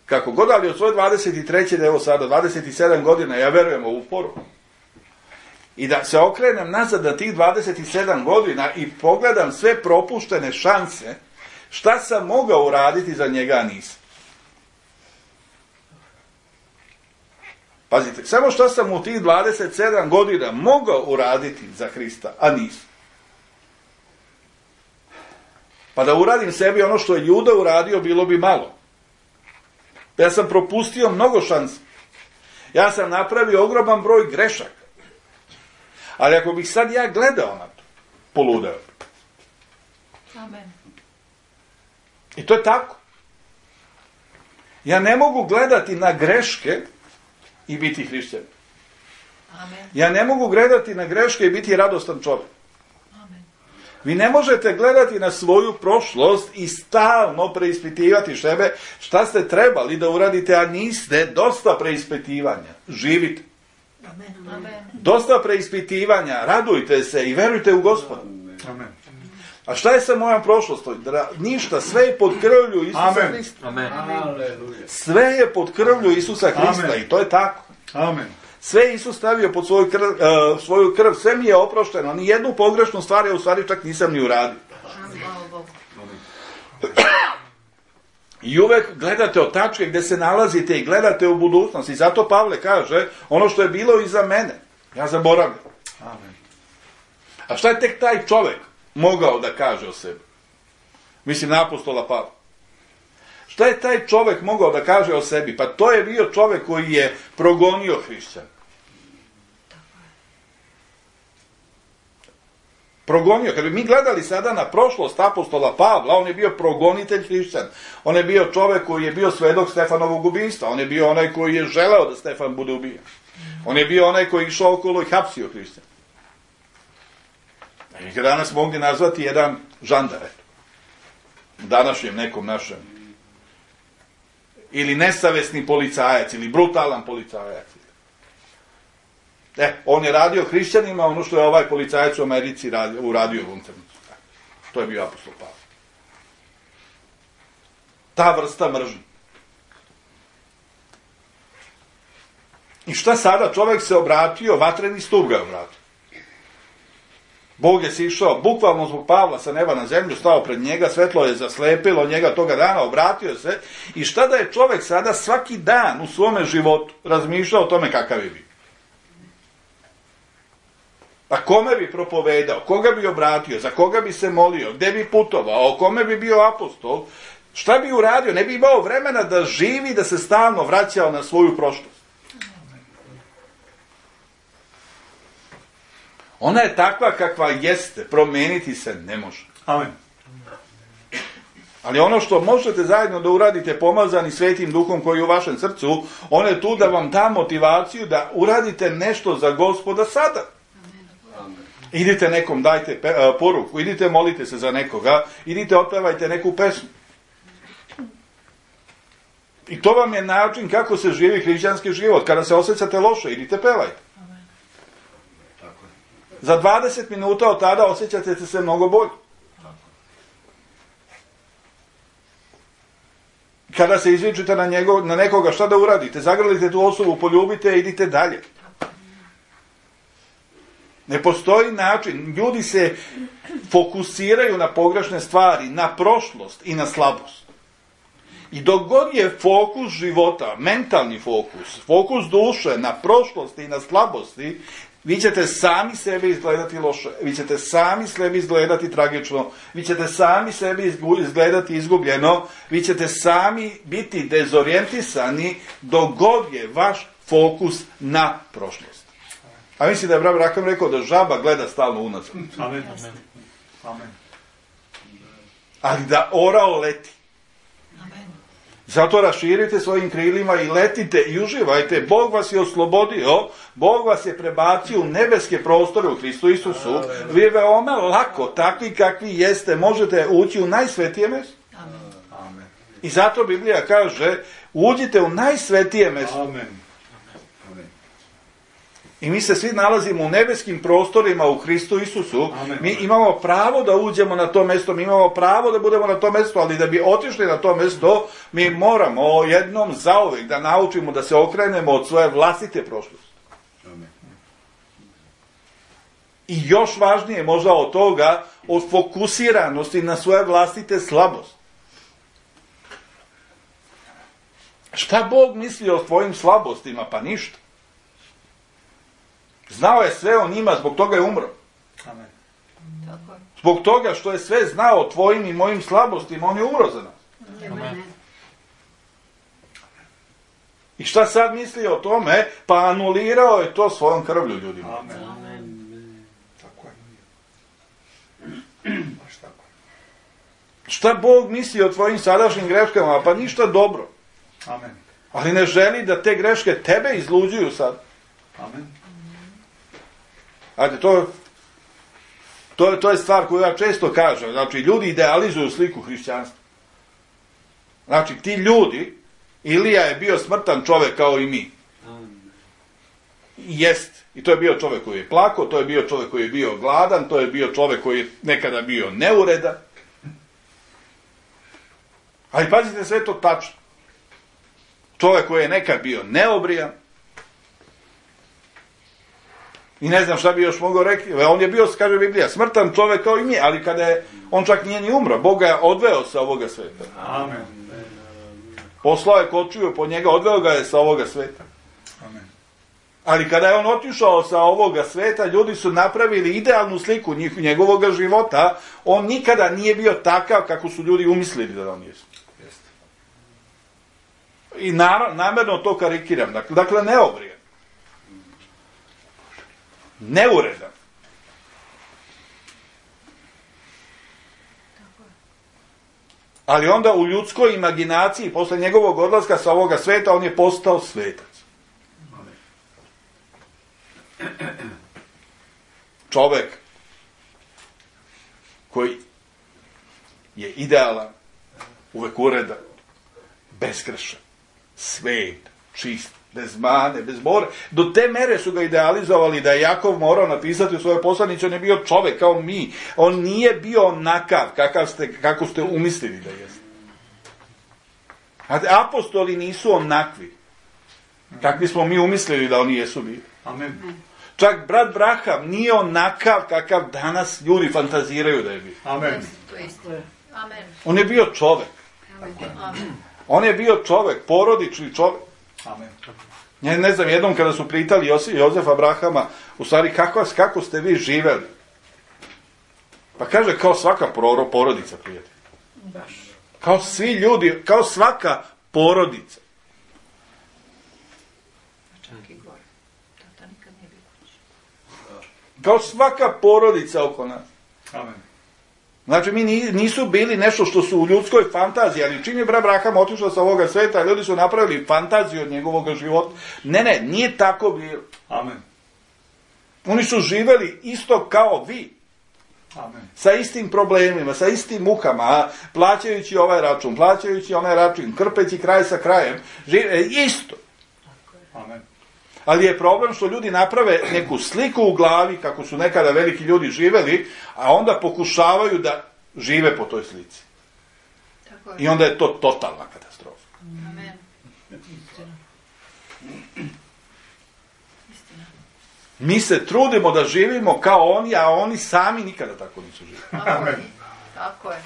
Kako god, ali od svoje dvadeset treće evo sada, dvadeset sedam godina, ja verujem u ovu poruku. I da se okrenem nazad na tih dvadeset sedam godina i pogledam sve propuštene šanse, šta sam mogao uraditi za njega, a nisam. Pazite, samo šta sam u tih dvadeset sedam godina mogao uraditi za Hrista, a nisam. Pa da uradim sebi ono što je Juda uradio, bilo bi malo. Ja sam propustio mnogo šansi. Ja sam napravio ogroman broj grešaka. Ali ako bih sad ja gledao na to, poludeo bi. Amen. I to je tako. Ja ne mogu gledati na greške i biti hrišćanin. Amen. Ja ne mogu gledati na greške i biti radostan čovjek. Amen. Vi ne možete gledati na svoju prošlost i stalno preispitivati sebe šta ste trebali da uradite, a niste. Dosta preispitivanja. Živite. Amen. Amen. Dosta preispitivanja. Radujte se i verujte u Gospoda. Amen. A šta je sa mojom prošlostom? Ništa. Sve je pod krvlju Isusa Amen. Hrista. Amen. Aleluja. Sve je pod krvlju Isusa Hrista. Amen. I to je tako. Amen. Sve je Isus stavio pod svoju krv, uh, svoju krv. Sve mi je oprošteno. Ni jednu pogrešnu stvar ja u stvari čak nisam ni uradio. Hvala Bogu. I uvek gledate od tačke gde se nalazite i gledate u budućnost. I zato Pavle kaže, ono što je bilo iza mene, ja zaboravljam. Amen. A šta je tek taj čovek mogao da kaže o sebi? Mislim na apostola Pavla. Šta je taj čovek mogao da kaže o sebi? Pa to je bio čovek koji je progonio hrišćana. Progonio. Kad bi mi gledali sada na prošlost apostola Pavla, on je bio progonitelj hrišćana. On je bio čovek koji je bio svedok Stefanovog ubijstva. On je bio onaj koji je želeo da Stefan bude ubijen. On je bio onaj koji je išao okolo i hapsio hrišćana. I ga danas mogli nazvati jedan žandar. U današnjem nekom našem. Ili nesavesni policajac, ili brutalan policajac. E, on je radio hrišćanima ono što je ovaj policajac u Americi radio, uradio u Lunternicu. To je bio apostol Pavle. Ta vrsta mržnje. I šta sada? Čovjek se obratio, vatreni stup ga je obratio. Bog je sišao, bukvalno zbog Pavla sa neba na zemlju, stao pred njega, svetlo je zaslepilo njega toga dana, obratio se. I šta da je čovjek sada svaki dan u svome životu razmišljao o tome kakav je bio? A kome bi propovedao, koga bi obratio, za koga bi se molio, gde bi putovao, kome bi bio apostol, šta bi uradio? Ne bi imao vremena da živi, da se stalno vraćao na svoju prošlost. Ona je takva kakva jeste, promeniti se ne može. Amen. Ali ono što možete zajedno da uradite pomazani Svetim Duhom koji je u vašem srcu, on je tu da vam da motivaciju da uradite nešto za Gospoda sada. Idite nekom, dajte pe, a, poruku, idite molite se za nekoga, idite otpevajte neku pesmu. I to vam je način kako se živi hrišćanski život. Kada se osjećate loše, idite pevajte. Za dvadeset minuta od tada osjećate se mnogo bolje. Kada se izvičite na, njegov, na nekoga, šta da uradite? Zagrlite tu osobu, poljubite i idite dalje. Ne postoji način. Ljudi se fokusiraju na pogrešne stvari, na prošlost i na slabost. I dok god je fokus života, mentalni fokus, fokus duše na prošlosti i na slabosti, vi ćete sami sebe izgledati loše, vi ćete sami sebi izgledati tragično, vi ćete sami sebi izgledati izgubljeno, vi ćete sami biti dezorijentisani dok god je vaš fokus na prošlost. A mislim da je brat Rakam rekao da žaba gleda stalno unazad. Amen. Amen. Ali da orao leti. Amen. Zato raširite svojim krilima i letite i uživajte. Bog vas je oslobodio, Bog vas je prebacio u nebeske prostore u Hristu Isusu. Vi veoma lako, takvi kakvi jeste, možete ući u najsvetije mjesto. Amen. Amen. I zato Biblija kaže, uđite u najsvetije mjesto. Amen. Amen. I mi se svi nalazimo u nebeskim prostorima u Hristu Isusu. Amen. Mi imamo pravo da uđemo na to mjesto, mi imamo pravo da budemo na to mjesto, ali da bi otišli na to mjesto, mi moramo jednom zauvijek da naučimo da se okrenemo od svoje vlastite prošlosti. Amen. I još važnije možda od toga, od fokusiranosti na svoje vlastite slabosti. Šta Bog misli o tvojim slabostima? Pa ništa. Znao je sve o njima, zbog toga je umro. Amen. Tako je. Zbog toga što je sve znao o tvojim i mojim slabostima, on je umro za nas. Amen. I šta sad misli o tome? Pa anulirao je to svojom krvlju, ljudima. Amen. Tako je. Baš tako. Šta Bog misli o tvojim sadašnjim greškama? Pa ništa dobro. Amen. Ali ne želi da te greške tebe izluđuju sad. Amen. Ajde, to, to, to je stvar koju ja često kažem. Znači, ljudi idealizuju sliku hrišćanstva. Znači, ti ljudi, Ilija je bio smrtan čovjek kao i mi. Jest. I to je bio čovjek koji je plakao, to je bio čovjek koji je bio gladan, to je bio čovjek koji je nekada bio neuredan. Ali pazite, sve to tačno. Čovjek koji je nekad bio neobrijan. I ne znam šta bi još mogao reći. On je bio, kaže Biblija, smrtan čovjek kao i mi, ali kada je, on čak nije ni umro. Bog ga je odveo sa ovoga sveta. Amen. Poslao je kočiju po njega, odveo ga je sa ovoga sveta. Amen. Ali kada je on otišao sa ovoga sveta, ljudi su napravili idealnu sliku njegovog života. On nikada nije bio takav kako su ljudi umislili da on je. Jeste. I namjerno to karikiram. Dakle, dakle neobrijan. Neuredan. Ali onda u ljudskoj imaginaciji, posle njegovog odlaska sa ovoga sveta, on je postao svetac. Čovek koji je idealan, uvek uredan, beskrešan, svet, čist, bez mane, bez bore. Do te mere su ga idealizovali da je Jakov morao napisati u svojoj poslanici, on je bio čovek kao mi. On nije bio onakav kakav ste, kako ste umislili da jeste. Apostoli nisu onakvi kakvi smo mi umislili da oni jesu bili. Amen. Čak brat Braham nije onakav kakav danas ljudi fantaziraju da je bio. Amen. To je isto. Amen. On je bio čovek. Amen. On je bio čovek, porodični čovek. Amen. Ja ne znam, jednom kada su pitali Josif, Jozefa Brahama, u stvari kako, kako ste vi živeli? Pa kaže, kao svaka proro, porodica, prijatelj. Baš. Kao svi ljudi, kao svaka porodica. Čak i gore. Tata nikad nije bio kući. Kao svaka porodica oko nas. Amen. Znači, mi nisu bili nešto što su u ljudskoj fantaziji, ali čim je brat Braham otišao sa ovoga sveta, ljudi su napravili fantaziju od njegovog života. Ne, ne, nije tako bilo. Amen. Oni su živeli isto kao vi. Amen. Sa istim problemima, sa istim mukama, plaćajući ovaj račun, plaćajući onaj račun, krpeći kraj sa krajem, žive isto. Amen. Ali je problem što ljudi naprave neku sliku u glavi, kako su nekada veliki ljudi živeli, a onda pokušavaju da žive po toj slici. Tako je. I onda je to totalna katastrofa. Amen. Istina. Istina. Mi se trudimo da živimo kao oni, a oni sami nikada tako nisu živjeli. Amen. Tako je.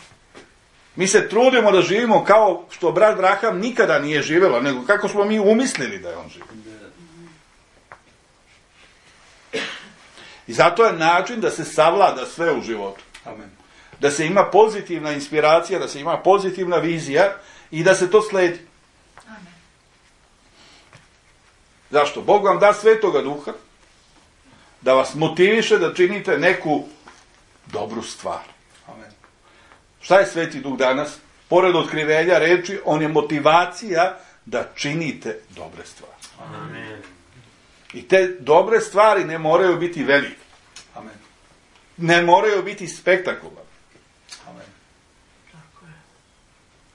Mi se trudimo da živimo kao što brat Braham nikada nije živjela, nego kako smo mi umislili da je on živi. I zato je način da se savlada sve u životu. Amen. Da se ima pozitivna inspiracija, da se ima pozitivna vizija i da se to sledi. Amen. Zašto? Bog vam da Svetoga Duha da vas motiviše da činite neku dobru stvar. Amen. Šta je Sveti Duh danas? Pored otkrivenja reči, on je motivacija da činite dobre stvari. Amen. I te dobre stvari ne moraju biti velike. Amen. Ne moraju biti spektakularne. Amen. Tako je.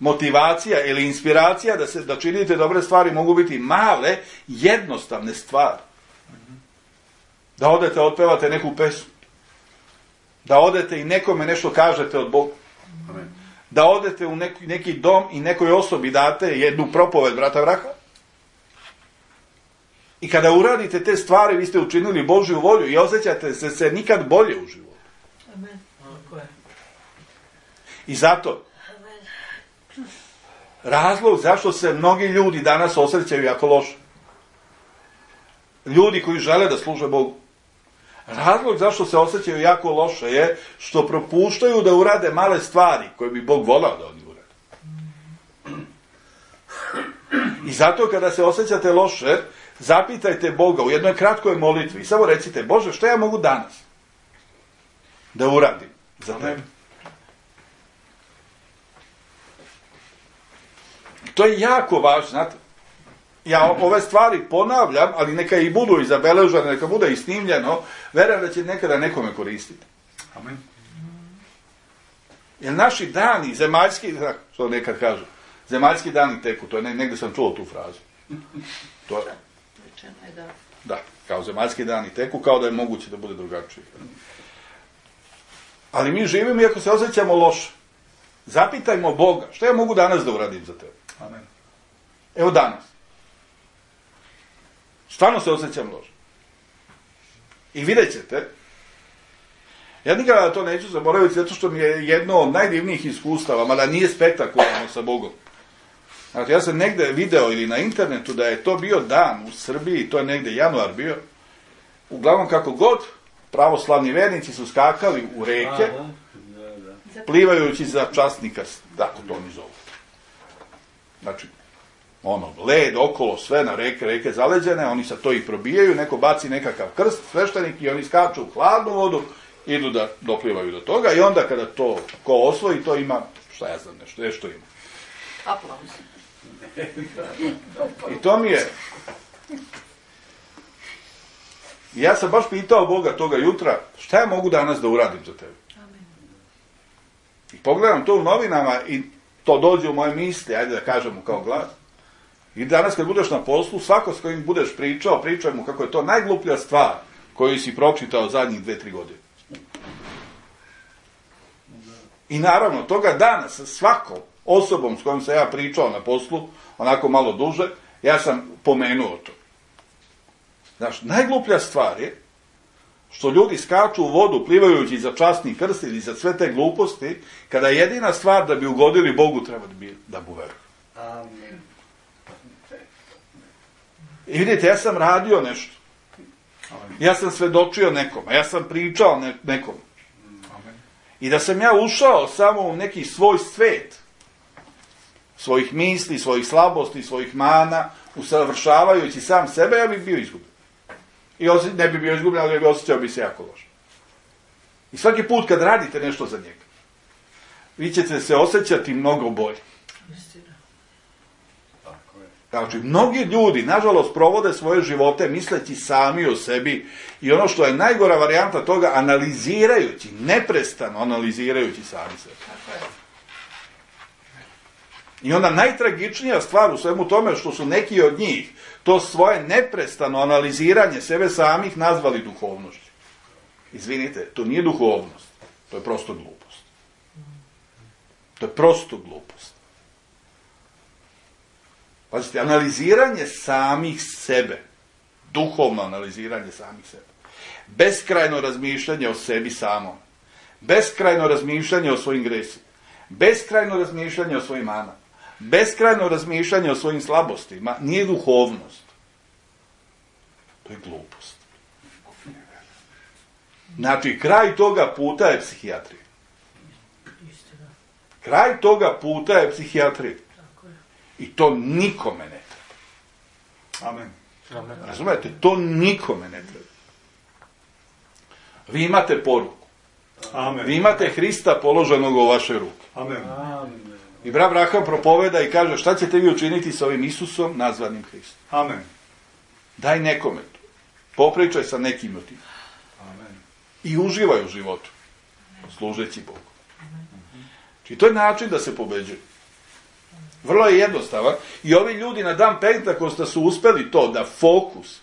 motivacija ili inspiracija da, se, da činite dobre stvari mogu biti male, jednostavne stvari. Da odete, otpevate neku pesmu. Da odete i nekome nešto kažete od Boga. Amen. Da odete u neki, neki dom i nekoj osobi date jednu propoved brata Vraha. I kada uradite te stvari, vi ste učinili Božju volju i osjećate se, se nikad bolje u životu. Amen. I zato, razlog zašto se mnogi ljudi danas osjećaju jako loše. Ljudi koji žele da služe Bogu. Razlog zašto se osjećaju jako loše je što propuštaju da urade male stvari koje bi Bog volao da oni urade. I zato kada se osjećate loše, zapitajte Boga u jednoj kratkoj molitvi i samo recite: Bože, što ja mogu danas da uradim za tebe? To je jako važno, znate. Ja ove stvari ponavljam, ali neka i budu i zabeležene, neka bude i snimljeno, verujem da će nekada nekome koristiti. Amen. Jer naši dani, zemaljski, što nekad kažu, zemaljski dani teku, to je, negdje sam čuo tu frazu. To je, da. Da, kao zemaljski dani teku, kao da je moguće da bude drugačije. Ali mi živimo i ako se osjećamo loše, zapitajmo Boga, što ja mogu danas da uradim za tebe? Amen. Evo danas. Stvarno se osjećam loše. I vidjet ćete, ja nikada to neću zaboraviti, zato što mi je jedno od najdivnijih iskustava, mada nije spektakularno sa Bogom. Znači, ja sam negde video ili na internetu da je to bio dan u Srbiji, to je negde januar bio, uglavnom kako god, pravoslavni vernici su skakali u reke, plivajući za časni krst, tako to oni zovu. Znači, ono, led okolo, sve na reke, reke zaleđene, oni sad to i probijaju, neko baci nekakav krst, sveštenik, i oni skaču u hladnu vodu, idu da doplivaju do toga, i onda kada to ko osvoji, to ima, šta ja znam, nešto, nešto ima. Aplauz. I to mi je... Ja sam baš pitao Boga toga jutra, šta ja mogu danas da uradim za tebe? Amen. I pogledam to u novinama i to dođe u moje misli, ajde da kažemo kao glas. I danas kad budeš na poslu, svako s kojim budeš pričao, pričaj mu kako je to najgluplja stvar koju si pročitao zadnjih dve, tri godine. I naravno, toga dana sa svakom osobom s kojom sam ja pričao na poslu, onako malo duže, ja sam pomenuo to. Znaš, najgluplja stvar je što ljudi skaču u vodu plivajući za časni krst ili za sve te gluposti, kada jedina stvar da bi ugodili Bogu treba da bi da bu veruju. Amen. I vidite, ja sam radio nešto. Ja sam svedočio nekome, ja sam pričao ne, nekom. Amen. I da sam ja ušao samo u neki svoj svet, svojih misli, svojih slabosti, svojih mana, usavršavajući sam sebe, ja bih bio izgubljen. I osje, ne bi bio izgubljen, ali bi osjećao bi se jako loše. I svaki put kad radite nešto za njega, vi ćete se osjećati mnogo bolje. Znači, mnogi ljudi, nažalost, provode svoje živote misleći sami o sebi i ono što je najgora varijanta toga, analizirajući, neprestano analizirajući sami sebe. I onda najtragičnija stvar u svemu tome što su neki od njih to svoje neprestano analiziranje sebe samih nazvali duhovnošću. Izvinite, to nije duhovnost, to je prosto glupost. To je prosto glupost. Pazite, analiziranje samih sebe, duhovno analiziranje samih sebe, beskrajno razmišljanje o sebi samom, beskrajno razmišljanje o svojim gresima, beskrajno razmišljanje o svojim manama, beskrajno razmišljanje o svojim slabostima, nije duhovnost. To je glupost. Znači, kraj toga puta je psihijatrija. Kraj toga puta je psihijatrija. I to nikome ne treba. Amen. Amen. Razumete? To nikome ne treba. Vi imate poruku. Amen. Vi imate Hrista položenog u vaše ruke. Amen. I brat Abraham propoveda i kaže, šta ćete vi učiniti sa ovim Isusom nazvanim Hristom? Amen. Daj nekome to. Popričaj sa nekim od tim. Amen. I uživaj u životu. Služeći Bogu. Znači, to je način da se pobeđuje. Vrlo je jednostavan. I ovi ljudi na dan Pentakosta su uspeli to da fokus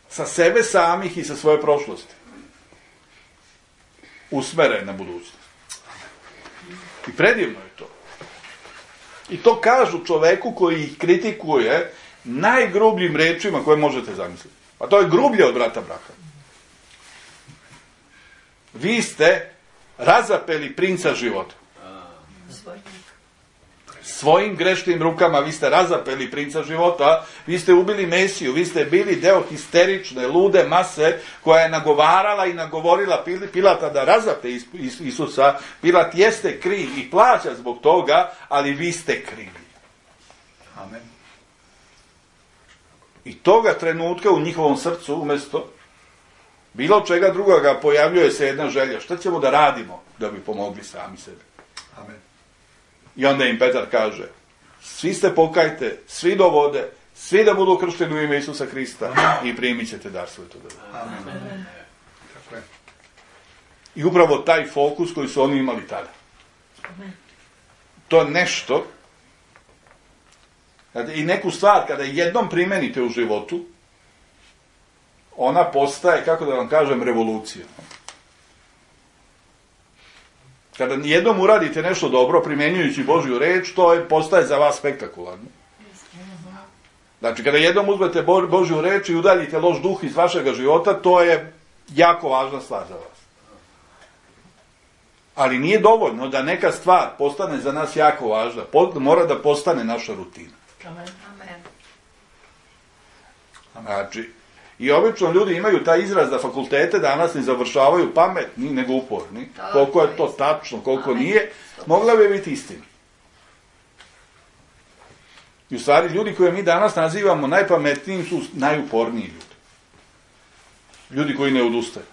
sa sebe samih i sa svoje prošlosti usmere na budućnost. I predivno je to. I to kažu čoveku koji ih kritikuje najgrubljim rečima koje možete zamisliti. A to je grublje od brata Braha. Vi ste razapeli princa života. Svojim grešnim rukama vi ste razapeli princa života, vi ste ubili Mesiju, vi ste bili deo histerične, lude mase koja je nagovarala i nagovorila Pilata da razape Isusa. Pilat jeste kriv i plaća zbog toga, ali vi ste krivi. Amen. I toga trenutka u njihovom srcu, umjesto bilo čega drugoga, pojavljuje se jedna želja. Šta ćemo da radimo da bi pomogli sami sebi? Amen. I onda im Petar kaže, svi se pokajte, svi do vode, svi da budu kršteni u ime Isusa Hrista i primit ćete dar Svetoga Duha. Amen. Tako je. I upravo taj fokus koji su oni imali tada. To je nešto, i neku stvar kada jednom primenite u životu, ona postaje, kako da vam kažem, revolucija. Kada jednom uradite nešto dobro, primjenjujući Božju reč, to je, postaje za vas spektakularno. Znači, kada jednom uzmete Božju reč i udaljite loš duh iz vašega života, to je jako važna stvar za vas. Ali nije dovoljno da neka stvar postane za nas jako važna. Mora da postane naša rutina. Amen. Znači, i obično ljudi imaju taj izraz da fakultete danas ne završavaju pametni, nego uporni. Koliko je to tačno, koliko nije, mogla bi biti istina. I u stvari, ljudi koje mi danas nazivamo najpametnijim su najuporniji ljudi. Ljudi koji ne odustaju.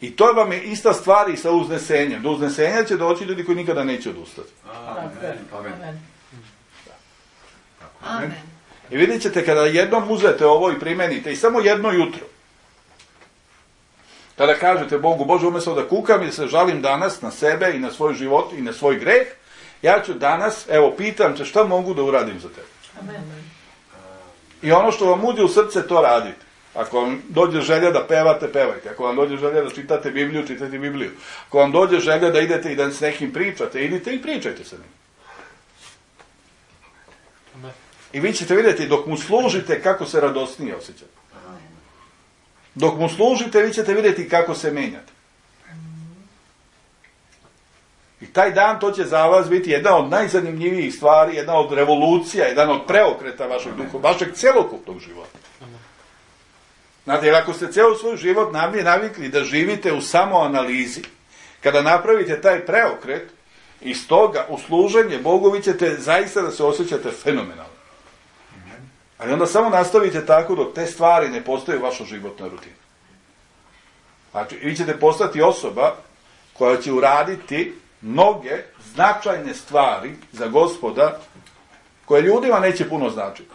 I to vam je ista stvar i sa uznesenjem. Do uznesenja će doći ljudi koji nikada neće odustati. Amen. Amen. Amen. I vidjet ćete kada jednom uzete ovo i primenite i samo jedno jutro, kada kažete Bogu, Bože, umjesto da kukam i da se žalim danas na sebe i na svoj život i na svoj greh, ja ću danas, evo, pitam te šta mogu da uradim za tebe. Amen. I ono što vam uđe u srce, to radite. Ako vam dođe želja da pevate, pevajte. Ako vam dođe želja da čitate Bibliju, čitajte Bibliju. Ako vam dođe želja da idete i da s nekim pričate, idite i pričajte sa njim. I vi ćete vidjeti, dok mu služite, kako se radosnije osjećate. Dok mu služite, vi ćete vidjeti kako se menjate. I taj dan, to će za vas biti jedna od najzanimljivijih stvari, jedna od revolucija, jedan od preokreta vašeg duha, vašeg celokupnog života. Znate, jer ako ste cijelo svoj život navikli da živite u samoanalizi, kada napravite taj preokret, iz toga u služenje Bogu, vi ćete zaista da se osjećate fenomenalno. Ali onda samo nastavite tako dok te stvari ne postaju vaša životna rutina. Znači, vi ćete postati osoba koja će uraditi mnoge značajne stvari za Gospoda, koje ljudima neće puno značiti.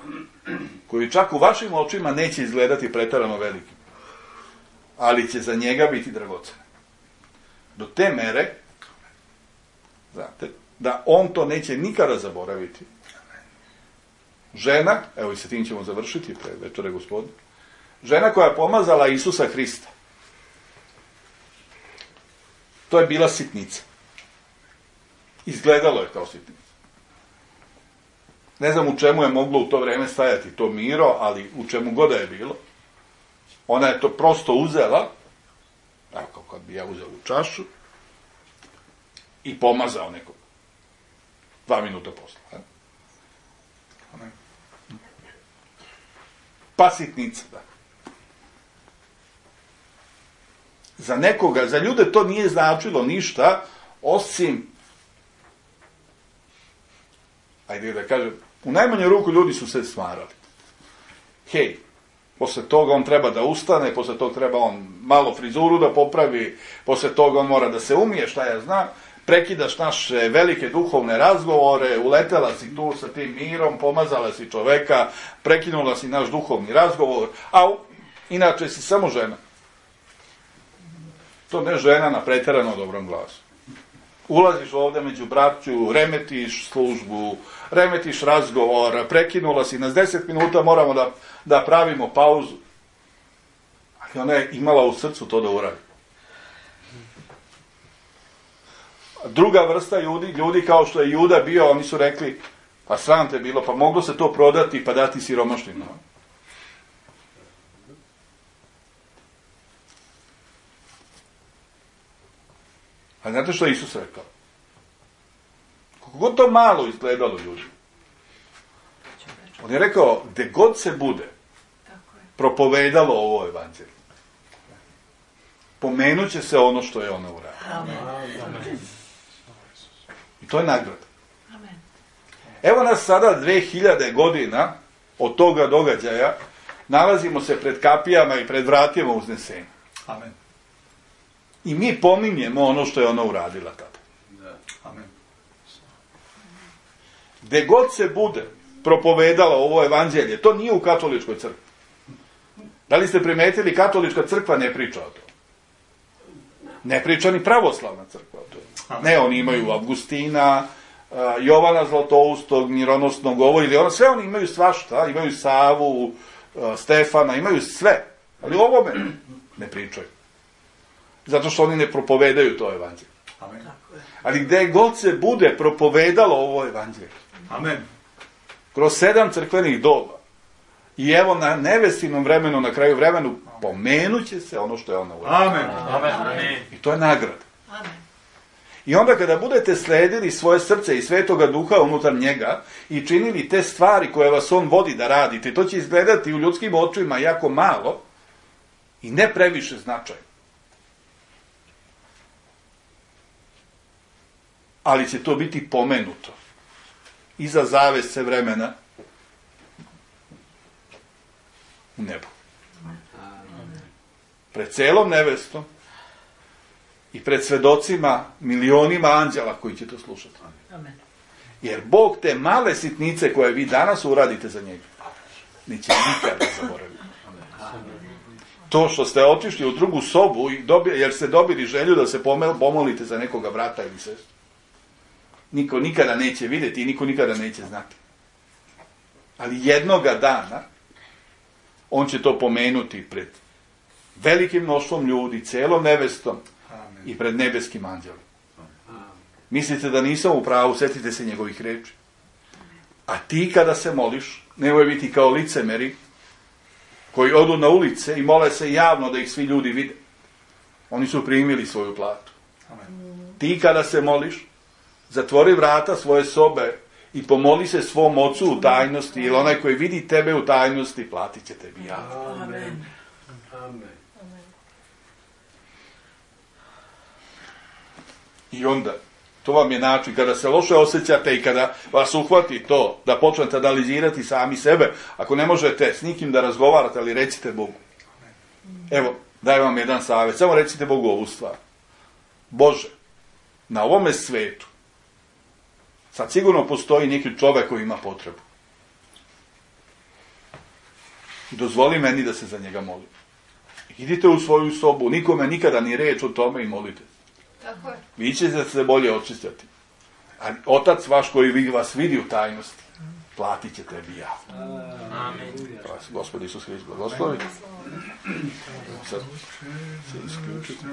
Koji čak u vašim očima neće izgledati preterano velikim. Ali će za njega biti dragocene. Do te mere, znate, da on to neće nikada zaboraviti. Žena, evo i sa tim ćemo završiti pre večere Gospodine, žena koja je pomazala Isusa Hrista, to je bila sitnica. Izgledalo je kao sitnica. Ne znam u čemu je moglo u to vreme stajati to miro, ali u čemu god da je bilo. Ona je to prosto uzela, evo kao kad bi ja uzela u čašu, i pomazao nekog. Dva minuta posle. A? Pa sitnica, da. Za nekoga, za ljude to nije značilo ništa, osim, ajde da kažem, u najmanju ruku ljudi su se smarali. Hej, posle toga on treba da ustane, posle toga treba on malo frizuru da popravi, posle toga on mora da se umije, šta ja znam, prekidaš naše velike duhovne razgovore, uletela si tu sa tim mirom, pomazala si čoveka, prekinula si naš duhovni razgovor, a u, inače si samo žena. To ne žena na preterano dobrom glasu. Ulaziš ovdje među braću, remetiš službu, remetiš razgovor, prekinula si nas deset minuta, moramo da, da pravimo pauzu. Ali ona je imala u srcu to da uradi. Druga vrsta ljudi, ljudi kao što je Juda bio, oni su rekli, pa sram te bilo, pa moglo se to prodati pa dati siromašnima. A znate što je Isus rekao? Kako god to malo izgledalo ljudi. On je rekao, gde god se bude propovedalo ovo evanđelje, pomenut će se ono što je ona uradila. I to je nagrada. Evo nas sada dve hiljade godina od toga događaja, nalazimo se pred kapijama i pred vratima uznesenja. Amen. I mi pominjemo ono što je ona uradila tada. Amen. Gde god se bude propovedalo ovo evanđelje, to nije u katoličkoj crkvi. Da li ste primetili, katolička crkva ne priča o tome. Ne priča ni pravoslavna crkva o tome. Ne, oni imaju Avgustina, Jovana Zlatoustog, mironosnog ovo ili ono, sve oni imaju svašta, imaju Savu, Stefana, imaju sve. Ali o ovome ne pričaju. Zato što oni ne propovedaju to evanđelje. Amen. Ali gde god se bude propovedalo ovo evanđelje. Amen. Kroz sedam crkvenih doba. I evo na nevestinom vremenu, na kraju vremenu, pomenut će se ono što je ona uradila. Amen. Amen. I to je nagrada. Amen. I onda kada budete sledili svoje srce i Svetoga Duha unutar njega i činili te stvari koje vas on vodi da radite, to će izgledati u ljudskim očima jako malo i ne previše značajno. Ali će to biti pomenuto iza zavese vremena u nebu. Pred celom nevestom i pred svedocima, milionima anđela koji će to slušati. Jer Bog te male sitnice koje vi danas uradite za njega, neće nikada zaboraviti. To što ste otišli u drugu sobu i dobili, jer ste dobili želju da se pomolite za nekoga brata ili sestru. Niko nikada neće vidjeti i niko nikada neće znati. Ali jednoga dana on će to pomenuti pred velikim mnoštvom ljudi, celom nevestom i pred nebeskim anđelom. Mislite da nisam u pravu, setite se njegovih reči. A ti kada se moliš, nemoj biti kao licemeri koji odu na ulice i mole se javno da ih svi ljudi vide. Oni su primili svoju platu. Ti kada se moliš, zatvori vrata svoje sobe i pomoli se svom ocu u tajnosti, jer onaj koji vidi tebe u tajnosti, platit će tebi javno. Amen. Amen. I onda, to vam je način, kada se loše osjećate i kada vas uhvati to, da počnete analizirati sami sebe, ako ne možete s nikim da razgovarate, ali recite Bogu. Evo, dajem vam jedan savjet, samo recite Bogu ovu stvar. Bože, na ovome svetu, sad sigurno postoji neki čovjek koji ima potrebu. Dozvoli meni da se za njega molim. Idite u svoju sobu, nikome nikada ni reč o tome i molite. Tako je. Vi ćete se bolje očistiti. A otac vaš koji vas vidi u tajnosti, platit će tebi javno. Amen. Gospod Isus Hrist, blagoslovi. Sad se isključite.